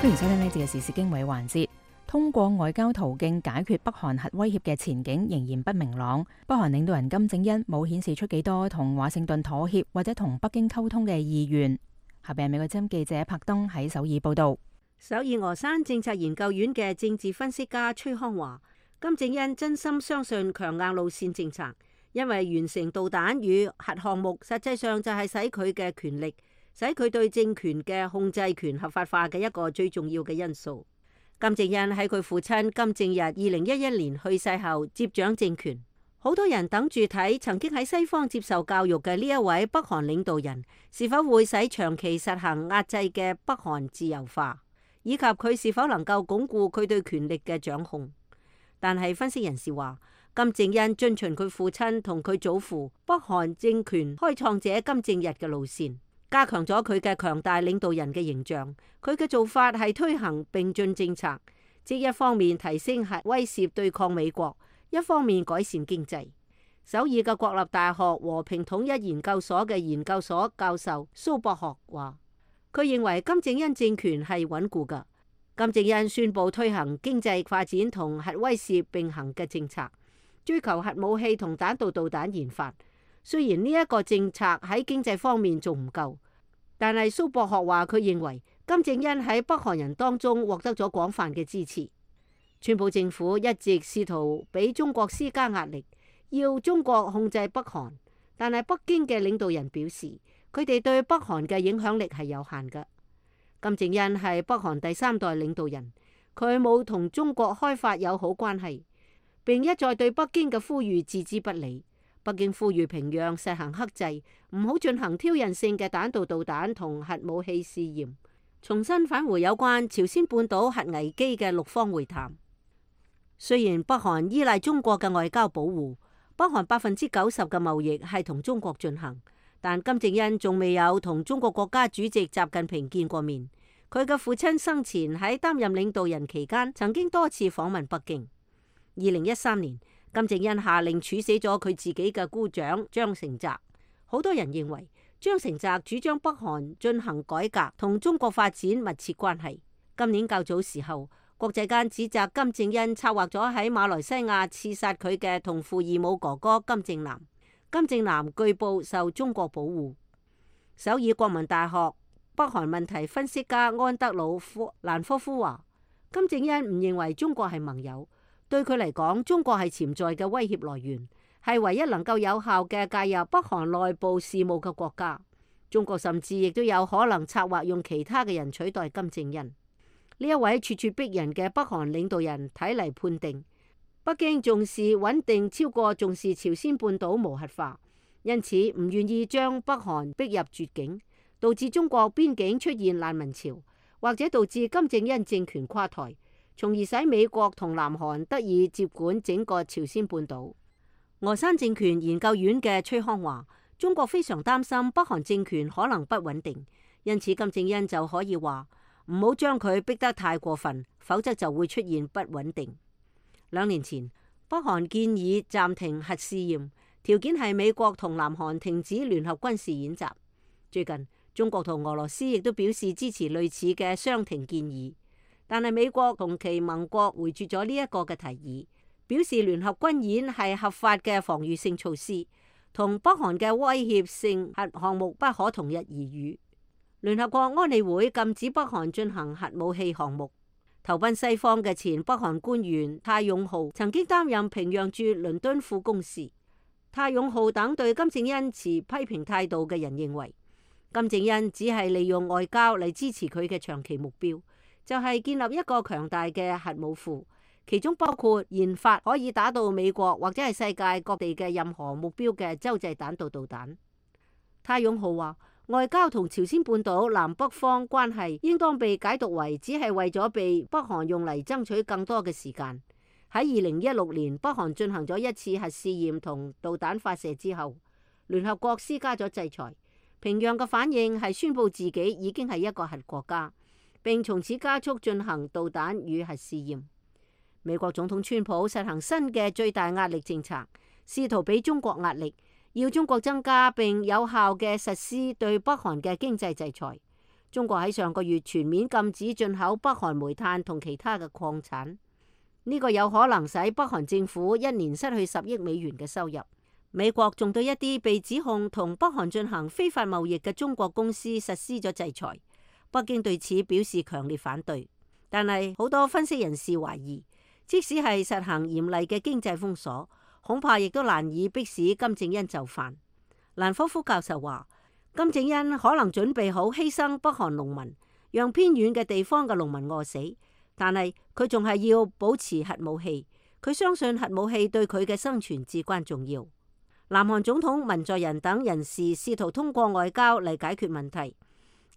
歡迎收聽呢節嘅時事經緯環節。通過外交途徑解決北韓核威脅嘅前景仍然不明朗。北韓領導人金正恩冇顯示出幾多同華盛頓妥協或者同北京溝通嘅意願。下邊係美國之音記者柏登喺首爾報道。首爾峨山政策研究院嘅政治分析家崔康話，金正恩真心相信強硬路線政策，因為完成導彈與核項目實際上就係使佢嘅權力，使佢對政權嘅控制權合法化嘅一個最重要嘅因素。金正恩喺佢父親金正日2011年去世後接掌政權，好多人等住睇曾經喺西方接受教育嘅呢一位北韓領導人是否會使長期實行壓制嘅北韓自由化，以及佢是否能夠鞏固佢對權力嘅掌控。但係分析人士話，金正恩遵循佢父親同佢祖父北韓政權開創者金正日嘅路線，加強咗佢嘅強大領導人嘅形象。佢嘅做法係推行並進政策，即一方面提升核威懾對抗美國，一方面改善經濟。首爾嘅國立大學和平統一研究所嘅研究所教授蘇博學話，佢認為金正恩政權係穩固㗎。金正恩宣布推行經濟發展同核威懾並行嘅政策，追求核武器同彈道導彈研發。雖然呢一個政策喺經濟方面仲唔夠，但係蘇博學話佢認為金正恩喺北韓人當中獲得咗廣泛嘅支持。川普政府一直試圖俾中國施加壓力，要中國控制北韓，但係北京嘅領導人表示，佢哋對北韓嘅影響力係有限嘅。金正恩係北韓第3代領導人，佢冇同中國開發友好關係，並一再對北京嘅呼籲置之不理。北京呼籲平壤實行克制，唔好進行挑釁性嘅彈道導彈同核武器試驗，重新返回有關朝鮮半島核危機嘅6方會談。雖然北韓依賴中國嘅外交保護，北韓90%嘅貿易係同中國進行，但金正恩仲未有同中國國家主席習近平見過面。佢嘅父親生前喺擔任領導人期間，曾經多次訪問北京。2013年，金正恩下令處死咗佢自己嘅姑丈張成澤。好多人認為張成澤主張北韓進行改革同中國發展密切關係。今年較早時候，國際間指責金正恩策劃咗喺馬來西亞刺殺佢嘅同父異母哥哥金正男。金正男據報受中國保護。首爾國民大學北韓問題分析家安德魯蘭科夫話，金正恩唔認為中國係盟友。對佢嚟講，中國係潛在嘅威脅來源，係唯一能夠有效嘅介入北韓內部事務嘅國家。中國甚至亦都有可能策劃用其他嘅人取代金正恩。呢一位咄咄逼人嘅北韓領導人睇嚟判定，北京重視穩定超過重視朝鮮半島無核化，因此唔願意將北韓逼入絕境，導致中國邊境出現難民潮，或者導致金正恩政權垮台，從而使美國同南韓得以接管整個朝鮮半島。峨山政權研究院嘅崔康話，中國非常擔心北韓政權可能不穩定，因此金正恩就可以話唔好將佢逼得太過分，否則就會出現不穩定。2年前，北韓建議暫停核試驗，條件係美國同南韓停止聯合軍事演習。最近，中國同俄羅斯亦都表示支持類似嘅相停建議，但係美國同其盟國回絕咗呢一個嘅提議，表示聯合軍演係合法嘅防禦性措施，同北韓嘅威脅性核項目不可同日而語。聯合國安理會禁止北韓進行核武器項目。投奔西方嘅前北韓官員泰永浩曾經擔任平壤駐倫敦副公使。泰永浩等對金正恩持批評態度嘅人認為，金正恩只係利用外交嚟支持佢嘅長期目標，就係建立一個強大嘅核武庫，其中包括研發可以打到美國或者係世界各地嘅任何目標嘅洲際彈道導彈。泰永浩話，外交同朝鮮半島南北方關係應當被解讀為只係為咗被北韓用嚟爭取更多嘅時間。喺2016年北韓進行咗一次核試驗同導彈發射之後，聯合國施加咗制裁。平壤嘅反應係宣布自己已經係一個核國家，並從此加速進行導彈與核試驗。美國總統川普實行新嘅最大壓力政策，試圖俾中國壓力，要中國增加並有效嘅實施對北韓嘅經濟制裁。中國喺上個月全面禁止進口北韓煤炭同其他嘅礦產，呢個有可能使北韓政府一年失去10億美元嘅收入。美國仲對一啲被指控同北韓進行非法貿易嘅中國公司實施咗制裁，北京對此表示強烈反對。但係好多分析人士懷疑，即使係實行嚴厲嘅經濟封鎖，恐怕亦都難以迫使金正恩就範。蘭科夫教授話，金正恩可能準備好犧牲北韓農民，讓偏遠嘅地方嘅農民餓死，但係佢仲係要保持核武器。佢相信核武器對佢嘅生存至關重要。南韓總統文在寅等人士試圖通過外交嚟解決問題，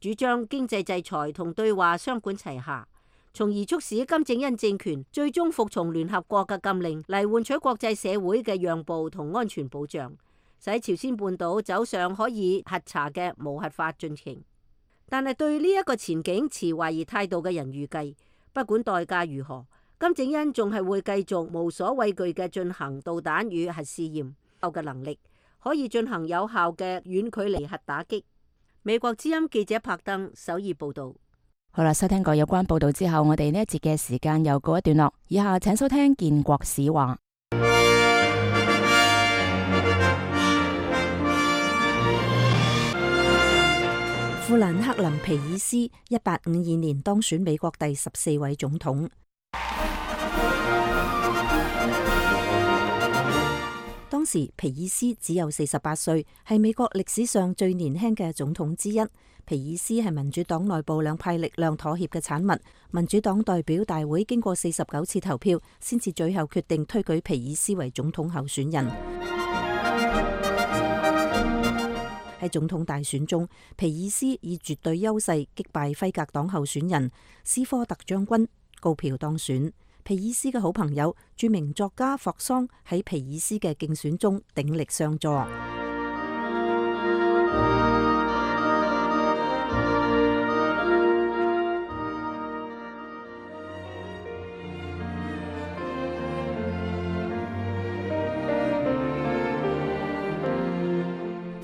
主張經濟制裁同對話雙管齊下，從而促使金正恩政權最終服從聯合國嘅禁令，嚟換取國際社會嘅讓步同安全保障，使朝鮮半島走上可以核查嘅無核化進程。但係對呢一個前景持懷疑態度嘅人預計，不管代價如何，金正恩仲係會繼續無所畏懼嘅進行導彈與核試驗。嘅能力可以進行有效嘅遠距離核打擊。美國之音記者柏登首爾報道。好啦，收聽過有關報道之後，我哋呢一節嘅時間又告一段落。以下請收聽建國史話。富蘭克林皮爾斯1852年當選美國第14位總統。當時皮爾斯只有48歲，係美國歷史上最年輕嘅總統之一。皮爾斯係民主黨內部兩派力量妥協嘅產物。民主黨代表大會經過49次投票，先至最後決定推舉皮爾斯為總統候選人。喺總統大選中，皮爾斯以絕對優勢擊敗輝格黨候選人斯科特將軍，高票當選。皮爾斯嘅好朋友著名作家霍桑喺皮爾斯嘅競選中鼎力相助。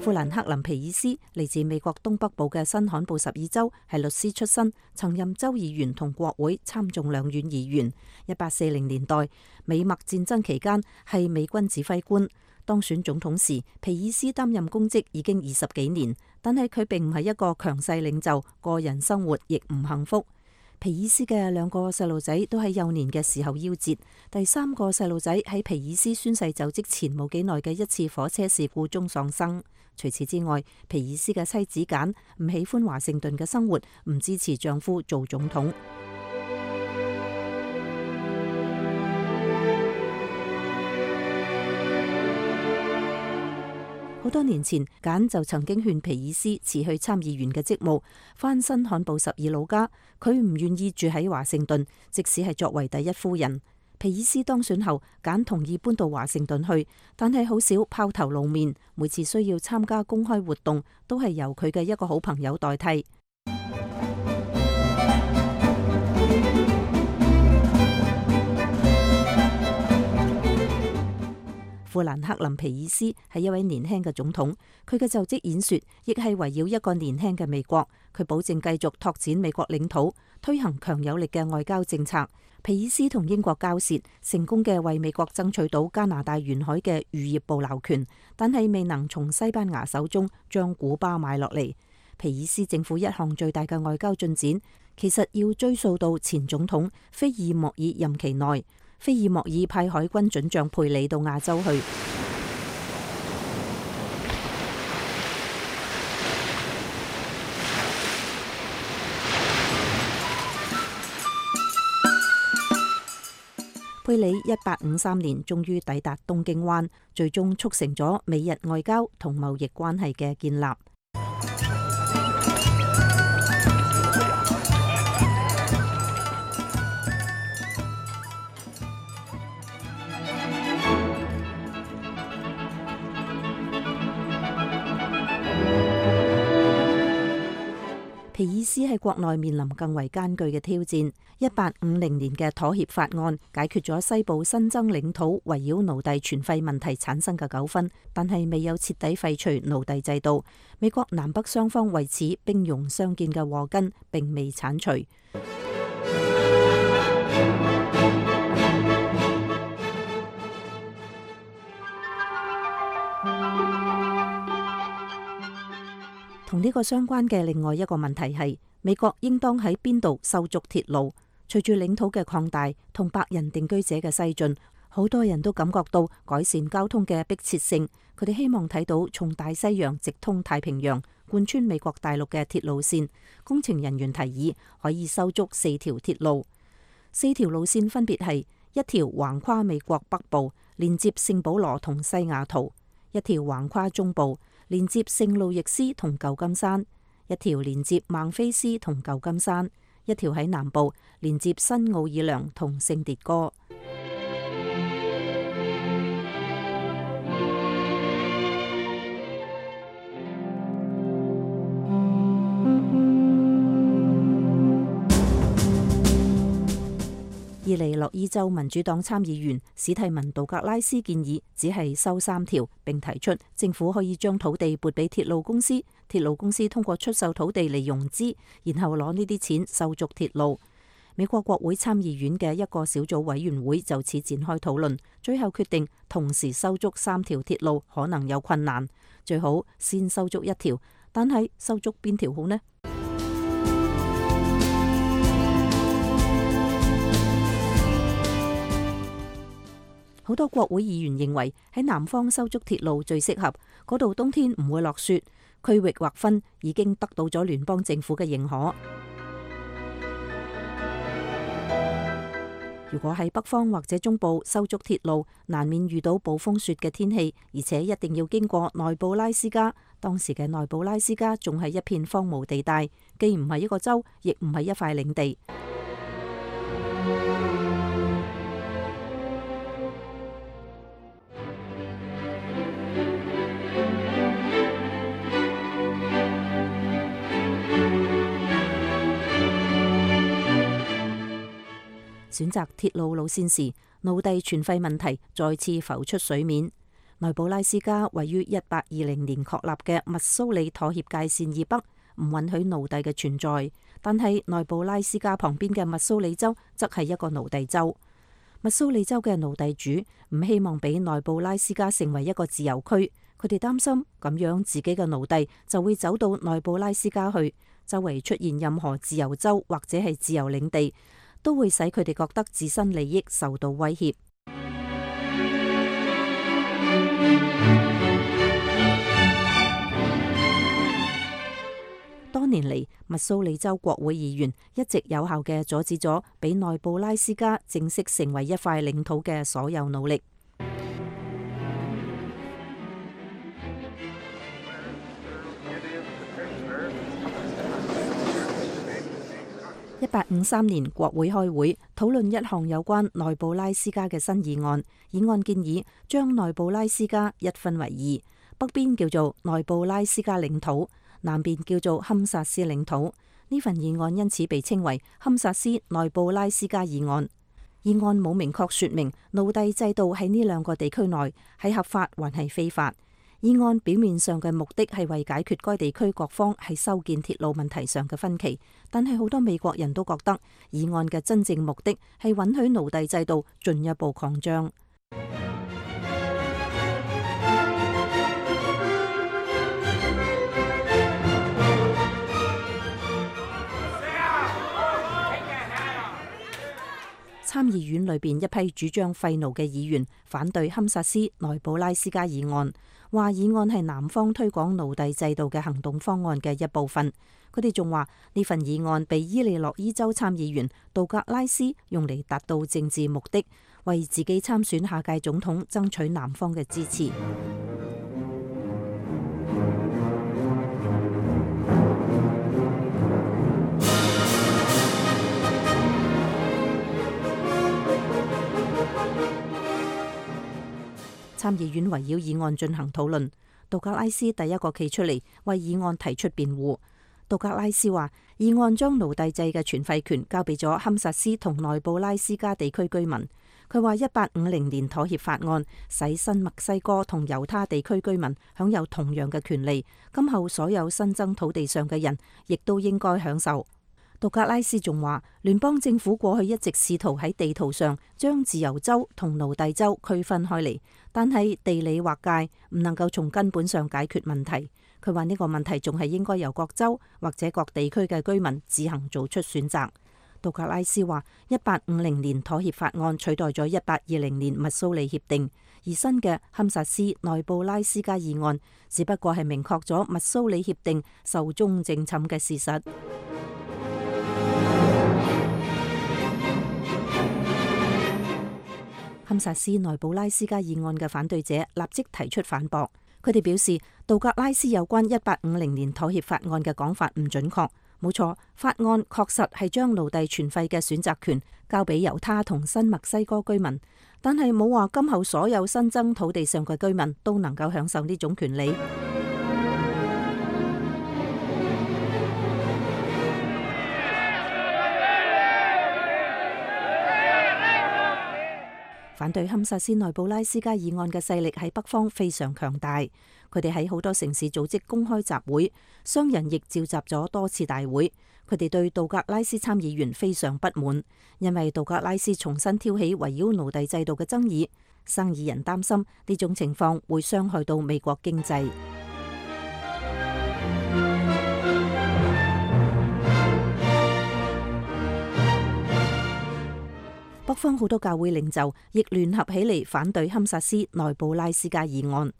富蘭克林皮爾斯嚟自美國東北部嘅新罕布什爾州，係律師出身，曾任州議員同國會參眾兩院議員。1840年代美墨戰爭期間係美軍指揮官。當選總統時，皮爾斯擔任公職已經20幾年，但係佢並唔係一個強勢領袖，個人生活亦唔幸福。皮爾斯嘅2個細路仔都喺幼年嘅時候夭折，第3個細路仔喺皮爾斯宣誓就職前冇幾耐嘅一次火車事故中喪生。除此之外，皮爾斯嘅妻子簡唔喜歡華盛頓嘅生活，唔支持丈夫做總統。好多年前，簡就曾經勸皮爾斯辭去參議員嘅職務，返新罕布什爾老家。佢唔願意住喺華盛頓，即使係作為第一夫人。皮爾斯當選後，簡同意搬到華盛頓去，但係好少拋頭露面。每次需要參加公開活動，都係由佢嘅一個好朋友代替。富蘭克林皮爾斯係一位年輕嘅總統，佢嘅就職演說亦係圍繞一個年輕嘅美國。佢保證繼續拓展美國領土，推行強有力嘅外交政策。皮爾斯同英國交涉，成功嘅為美國爭取到加拿大沿海嘅漁業捕撈權，但係未能從西班牙手中將古巴買落嚟。皮爾斯政府一項最大嘅外交進展，其實要追溯到前總統菲爾莫爾任期內。菲爾莫爾派海軍准將佩里到亞洲去。佩里1853年終於抵達東京灣，最終促成咗美日外交同貿易關係嘅建立。皮爾斯喺國內面臨更為艱巨嘅挑戰。1850年嘅妥協法案解決咗西部新增領土圍繞奴隸存廢問題產生嘅糾紛，但係未有徹底廢除奴隸制度。美國南北雙方為此兵戎相見嘅禍根並未剷除。同呢個相關嘅另外一個問題係，美國應當喺邊度修築鐵路？隨住領土嘅擴大同白人定居者嘅西進，好多人都感覺到改善交通嘅迫切性。佢哋希望睇到從大西洋直通太平洋、貫穿美國大陸嘅鐵路線。工程人員提議可以修築4條鐵路，4條路線分別係一條橫跨美國北部，連接聖保羅同西雅圖；一條橫跨中部，連接聖路易斯同舊金山；一條連接孟菲斯同舊金山；一條喺南部，連接新奧爾良同聖迭戈。伊利諾伊州民主黨參議員史蒂文·杜格拉斯建議只係修3條，並提出政府可以將土地撥俾鐵路公司，鐵路公司通過出售土地嚟融資，然後攞呢啲錢修築鐵路。美國國會參議院嘅一個小組委員會就此展開討論，最後決定同時修築3條鐵路可能有困難，最好先修築1條，但係修築邊條好呢？好多國會議員認為喺南方修築鐵路最適合，嗰度冬天唔會落雪，區域劃分已經得到咗聯邦政府嘅認可。如果喺北方或者中部修築鐵路，難免遇到暴風雪嘅天氣，而且一定要經過內布拉斯加。當時嘅內布拉斯加仲係一片荒蕪地帶，既唔係一個州，亦唔係一塊領地。選擇鐵路路線時，奴隸存廢問題再次浮出水面。內布拉斯加位於1820年確立嘅密蘇里妥協界線以北，唔允許奴隸嘅存在。但係內布拉斯加旁邊嘅密蘇里州則係一個奴隸州。密蘇里州嘅奴隸主唔希望俾內布拉斯加成為一個自由區，佢哋擔心咁樣自己嘅奴隸就會走到內布拉斯加去，周圍出現任何自由州或者係自由領地，都會使佢哋覺得自身利益受到威脅。多年嚟，密蘇里州國會議員一直有效嘅阻止咗俾內布拉斯加正式成為一塊領土嘅所有努力。1853年，國會開會討論一項有關內布拉斯加嘅新議案。議案建議將內布拉斯加一分為2，北邊叫做內布拉斯加領土，南邊叫做堪薩斯領土。呢份議案因此被稱為堪薩斯內布拉斯加議案。議案冇明確說明奴隸制度喺呢兩個地區內係合法還係非法。議案表面上嘅目的係為解決該地區各方喺修建鐵路問題上嘅分歧，但係好多美國人都覺得議案嘅真正目的係允許奴隸制度進一步擴張。參議院裏邊一批主張廢奴嘅議員反對堪薩斯內布拉斯加議案，話議案係南方推廣奴隸制度嘅行動方案嘅一部分。佢哋仲話呢份議案被伊利諾伊州參議員杜格拉斯用嚟達到政治目的，為自己參選下屆總統爭取南方嘅支持。參議院圍繞議案進行討論，杜格拉斯第一個企出嚟為議案提出辯護。杜格拉斯話，議案將奴隸制嘅全廢權交俾咗堪薩斯同內布拉斯加地區居民。佢話1850年妥協法案使新墨西哥同猶他地區居民享有同樣嘅權利，今後所有新增土地上嘅人亦都應該享受。杜格拉斯仲話，聯邦政府過去一直試圖喺地圖上將自由州同奴隸州區分開嚟，但係地理劃界唔能夠從根本上解決問題。佢話呢個問題仲係應該由各州或者各地區嘅居民自行做出選擇。杜格拉斯話，1850年妥協法案取代咗1820年密蘇里協定，而新嘅堪薩斯內布拉斯加議案只不過係明確咗密蘇里協定壽終正寢嘅事實。堪薩斯內布拉斯加議案嘅反對者立即提出反駁，佢哋表示杜格拉斯有關1850年妥協法案嘅講法唔準確。冇錯，法案確實係將奴隸全廢嘅選擇權交俾猶他同新墨西哥居民，但係冇話今後所有新增土地上嘅居民都能夠享受呢種權利。反對堪薩斯內布拉斯加議案嘅勢力喺北方非常強大，佢哋喺好多城市組織公開集會，商人亦召集咗多次大會。佢哋對杜格拉斯參議員非常不滿，因為杜格拉斯重新挑起圍繞奴隸制度嘅爭議。生意人擔心呢種情況會傷害到美國經濟。北方好多教會領袖亦聯合起嚟反對堪薩斯內布拉斯加議案，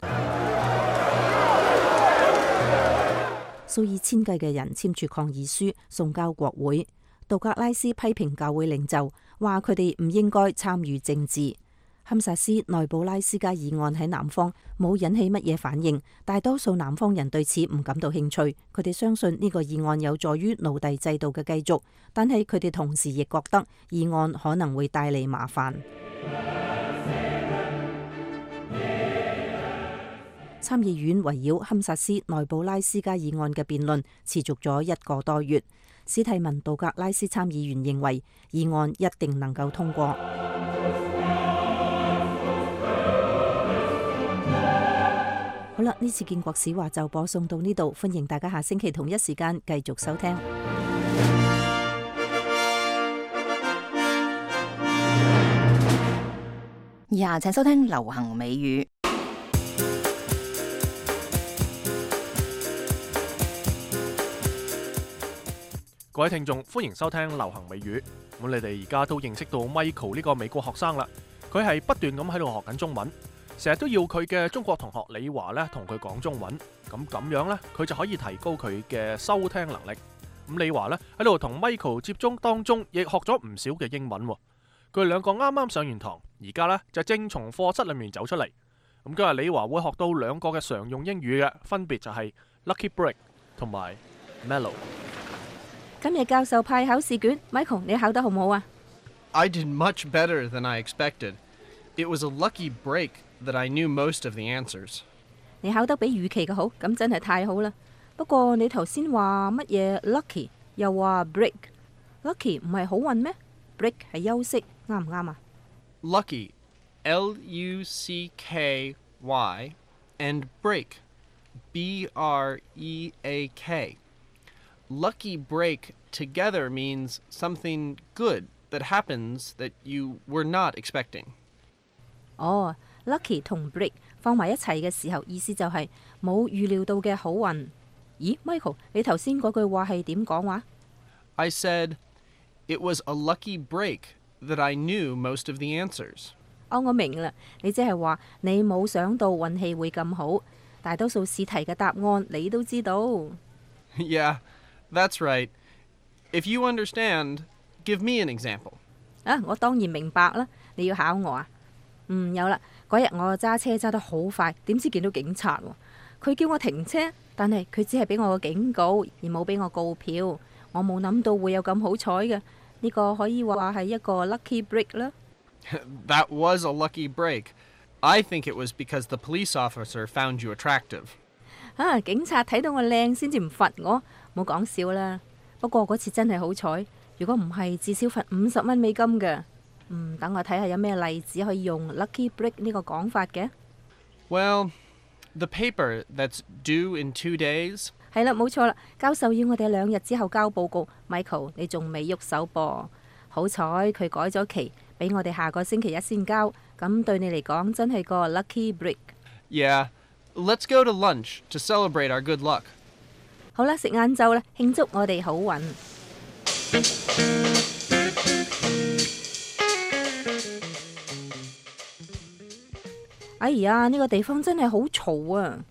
數以千計嘅人簽署抗議書送交國會。杜格拉斯批評教會領袖，話佢哋唔應該參與政治。堪薩斯內布拉斯加議案喺南方冇引起乜嘢反應，大多數南方人對此唔感到興趣。佢哋相信呢個議案有助於奴隸制度嘅繼續，但係佢哋同時亦覺得議案可能會帶嚟麻煩。參議院圍繞堪薩斯內布拉斯加議案嘅辯論持續咗1個多月。史蒂文杜格拉斯參議員認為議案一定能夠通過。好啦，呢次建國史話就播送到呢度，歡迎大家下星期同一時間繼續收聽。以下請收聽流行美語。各位聽眾，歡迎收聽流行美語。咁你哋而家都認識到 Michael 呢個美國學生啦，佢係不斷咁喺度學緊中文。成日都要佢嘅中國同學李華咧同佢講中文，咁樣咧佢就可以提高佢嘅收聽能力。咁李華咧喺度同 Michael 接觸當中，亦學咗唔少嘅英文。佢哋兩個啱啱上完堂，而家咧就正從課室裏面走出嚟。咁今日李華會學到2個嘅常用英語嘅，分別就係 Lucky Break 同埋 Mellow。今日教授派考試卷 ，Michael 你考得好唔好啊？ I did much better than I expected. It was a lucky break that I knew most of the answers. 你考得比預期嘅好，咁真係太好啦。不過你頭先話乜嘢 lucky， 又話 break，lucky 唔係好運咩？ break 係休息，啱唔啱啊？ Lucky, Lucky, and break, break. Lucky break together means something good that happens that you were not expecting. 哦，lucky 同 break 放埋一齊嘅時候，意思就係冇預料到嘅好運。咦 ，Michael， 你頭先嗰句話係點講話？ I said, it was a lucky break that I knew most of the answers. 哦，我明啦，你即係話你冇想到運氣會咁好，大多數試題嘅答案你都知道。Yeah, that's right. If you understand, give me an example. 啊，我當然明白啦，你要考我啊？有啦，嗰日我揸車揸得好快，點知見到警察喎，佢叫我停車，但係佢只係俾我個警告，而冇俾我告票。我冇諗到會有咁好彩嘅，呢個可以話係一個 lucky break 啦。That was a lucky break. I think it was because the police officer found you attractive. 啊，警察睇到我靚先至唔罰我，冇講笑啦。不過嗰次真係好彩，如果唔係至少罰50蚊美金嘅。等我睇下有咩例子可以用 lucky break 呢個講法嘅。Well, the paper that's due in 2 days. 係啦，冇錯啦，教授要我哋2日之後交報告。Michael， 你仲未喐手噃？好彩佢改咗期，俾我哋下個星期一先交。咁對你嚟講真係個 lucky break。Yeah, let's go to lunch to celebrate our good luck. 好啦，食晏晝啦，慶祝我哋好運。哎呀，呢個地方真係好嘈啊！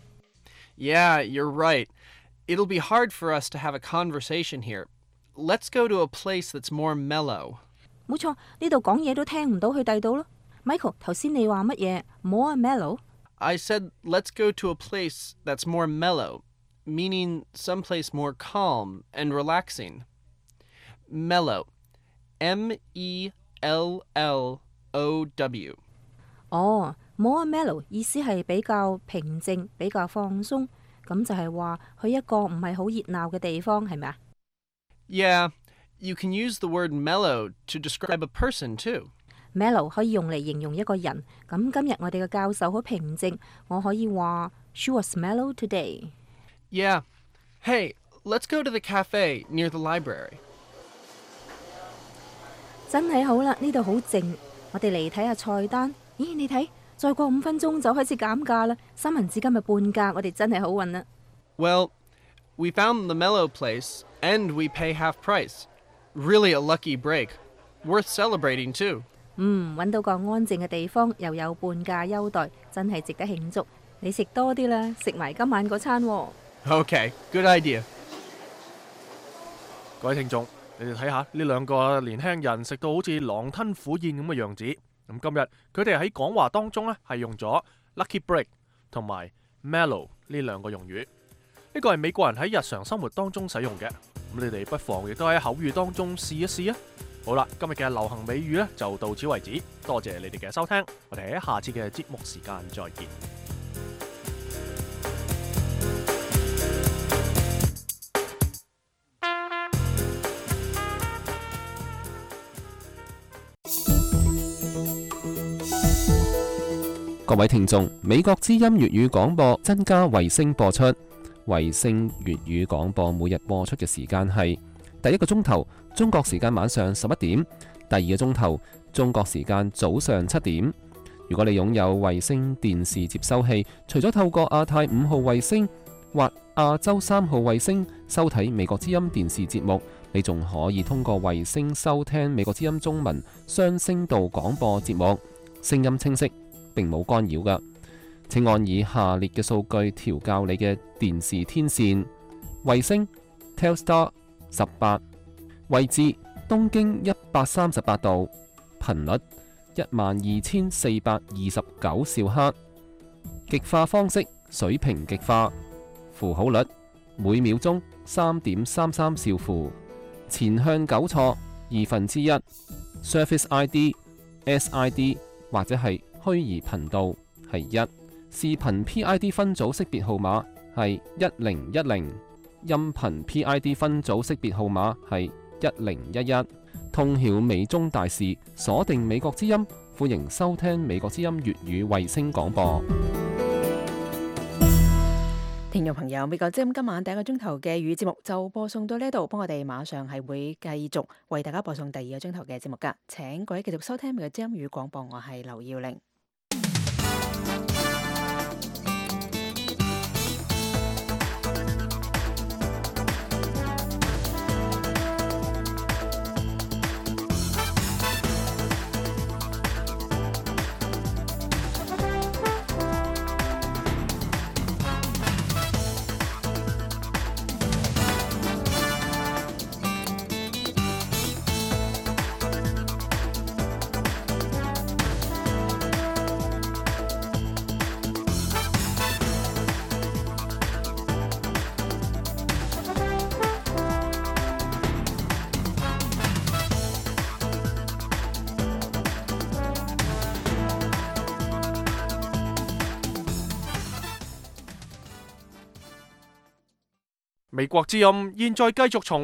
Yeah, you're right. It'll be hard for us to have a conversation here. Let's go to a place that's more mellow. 冇錯，呢度講嘢都聽唔到去第度咯。Michael， 頭先你話乜嘢 ？More mellow？ I said let's go to a place that's more mellow, meaning someplace more calm and relaxing. Mellow, M-E-L-L-O-W. 哦，more mellow 意思係比較平靜、比較放鬆，咁就係話去一個唔係好熱鬧嘅地方，係咪啊？ Yeah, you can use the word mellow to describe a person too. Mellow 可以用嚟形容一個人。咁今日我哋嘅教授好平靜，我可以話 She was mellow today. Yeah. Hey, let's go to the cafe near the library. 真係好啦，呢度好靜。我哋嚟睇下菜單。咦，你睇，再過5分鐘就開始減價啦。三文治今日半價，我哋真係好運啦。Well, we found the mellow place and we pay half price. Really a lucky break. Worth celebrating too. 揾到個安靜嘅地方，又有半價優待，真係值得慶祝。你食多啲啦，食埋今晚嗰餐喎。Okay, good idea. 各位聽眾，你哋睇下呢兩個年輕人食到好似狼吞虎咽咁嘅樣子。咁今日佢哋喺講話當中呢，係用咗 lucky break 同埋 mellow 呢兩個用語。呢個係美國人喺日常生活當中使用嘅。咁你哋不妨亦都喺口語當中試一試啊！好啦，今日嘅流行美語呢就到此為止，多謝你哋嘅收聽，我哋喺下次嘅節目時間再見。各位聽眾，美國之音粵語廣播增加衛星播出，衛星粵語廣播每日播出嘅時間係第1個鐘頭中國時間晚上11點，第2個鐘頭中國時間早上7點。如果你擁有衛星電視接收器，除咗透過亞太5號衛星或亞洲3號衛星收睇美國之音電視節目，你仲可以通過衛星收聽美國之音中文雙聲道廣播節目，聲音清晰，並冇干擾㗎。請按以下列嘅數據調校你嘅電視天線：衛星 Telstar 18，位置東經138度，頻率12429兆赫，極化方式水平極化，符號率每秒鐘3.33兆符，前向糾錯1/2， Service ID、SID 或者係虛擬頻道係1，視頻 PID 分組識別號碼係1010，音頻 PID 分組識別號碼係1011。通曉美中大事，鎖定美國之音，歡迎收聽美國之音粵語衛星廣播。聽眾朋友，美國之音今晚第一個鐘頭嘅粵語節目就播送到呢度，幫我哋馬上係會繼續為大家播送第二個鐘頭嘅節目㗎。請各位繼續收聽美國之音粵語廣播，我係劉耀玲。美國之音現在繼續從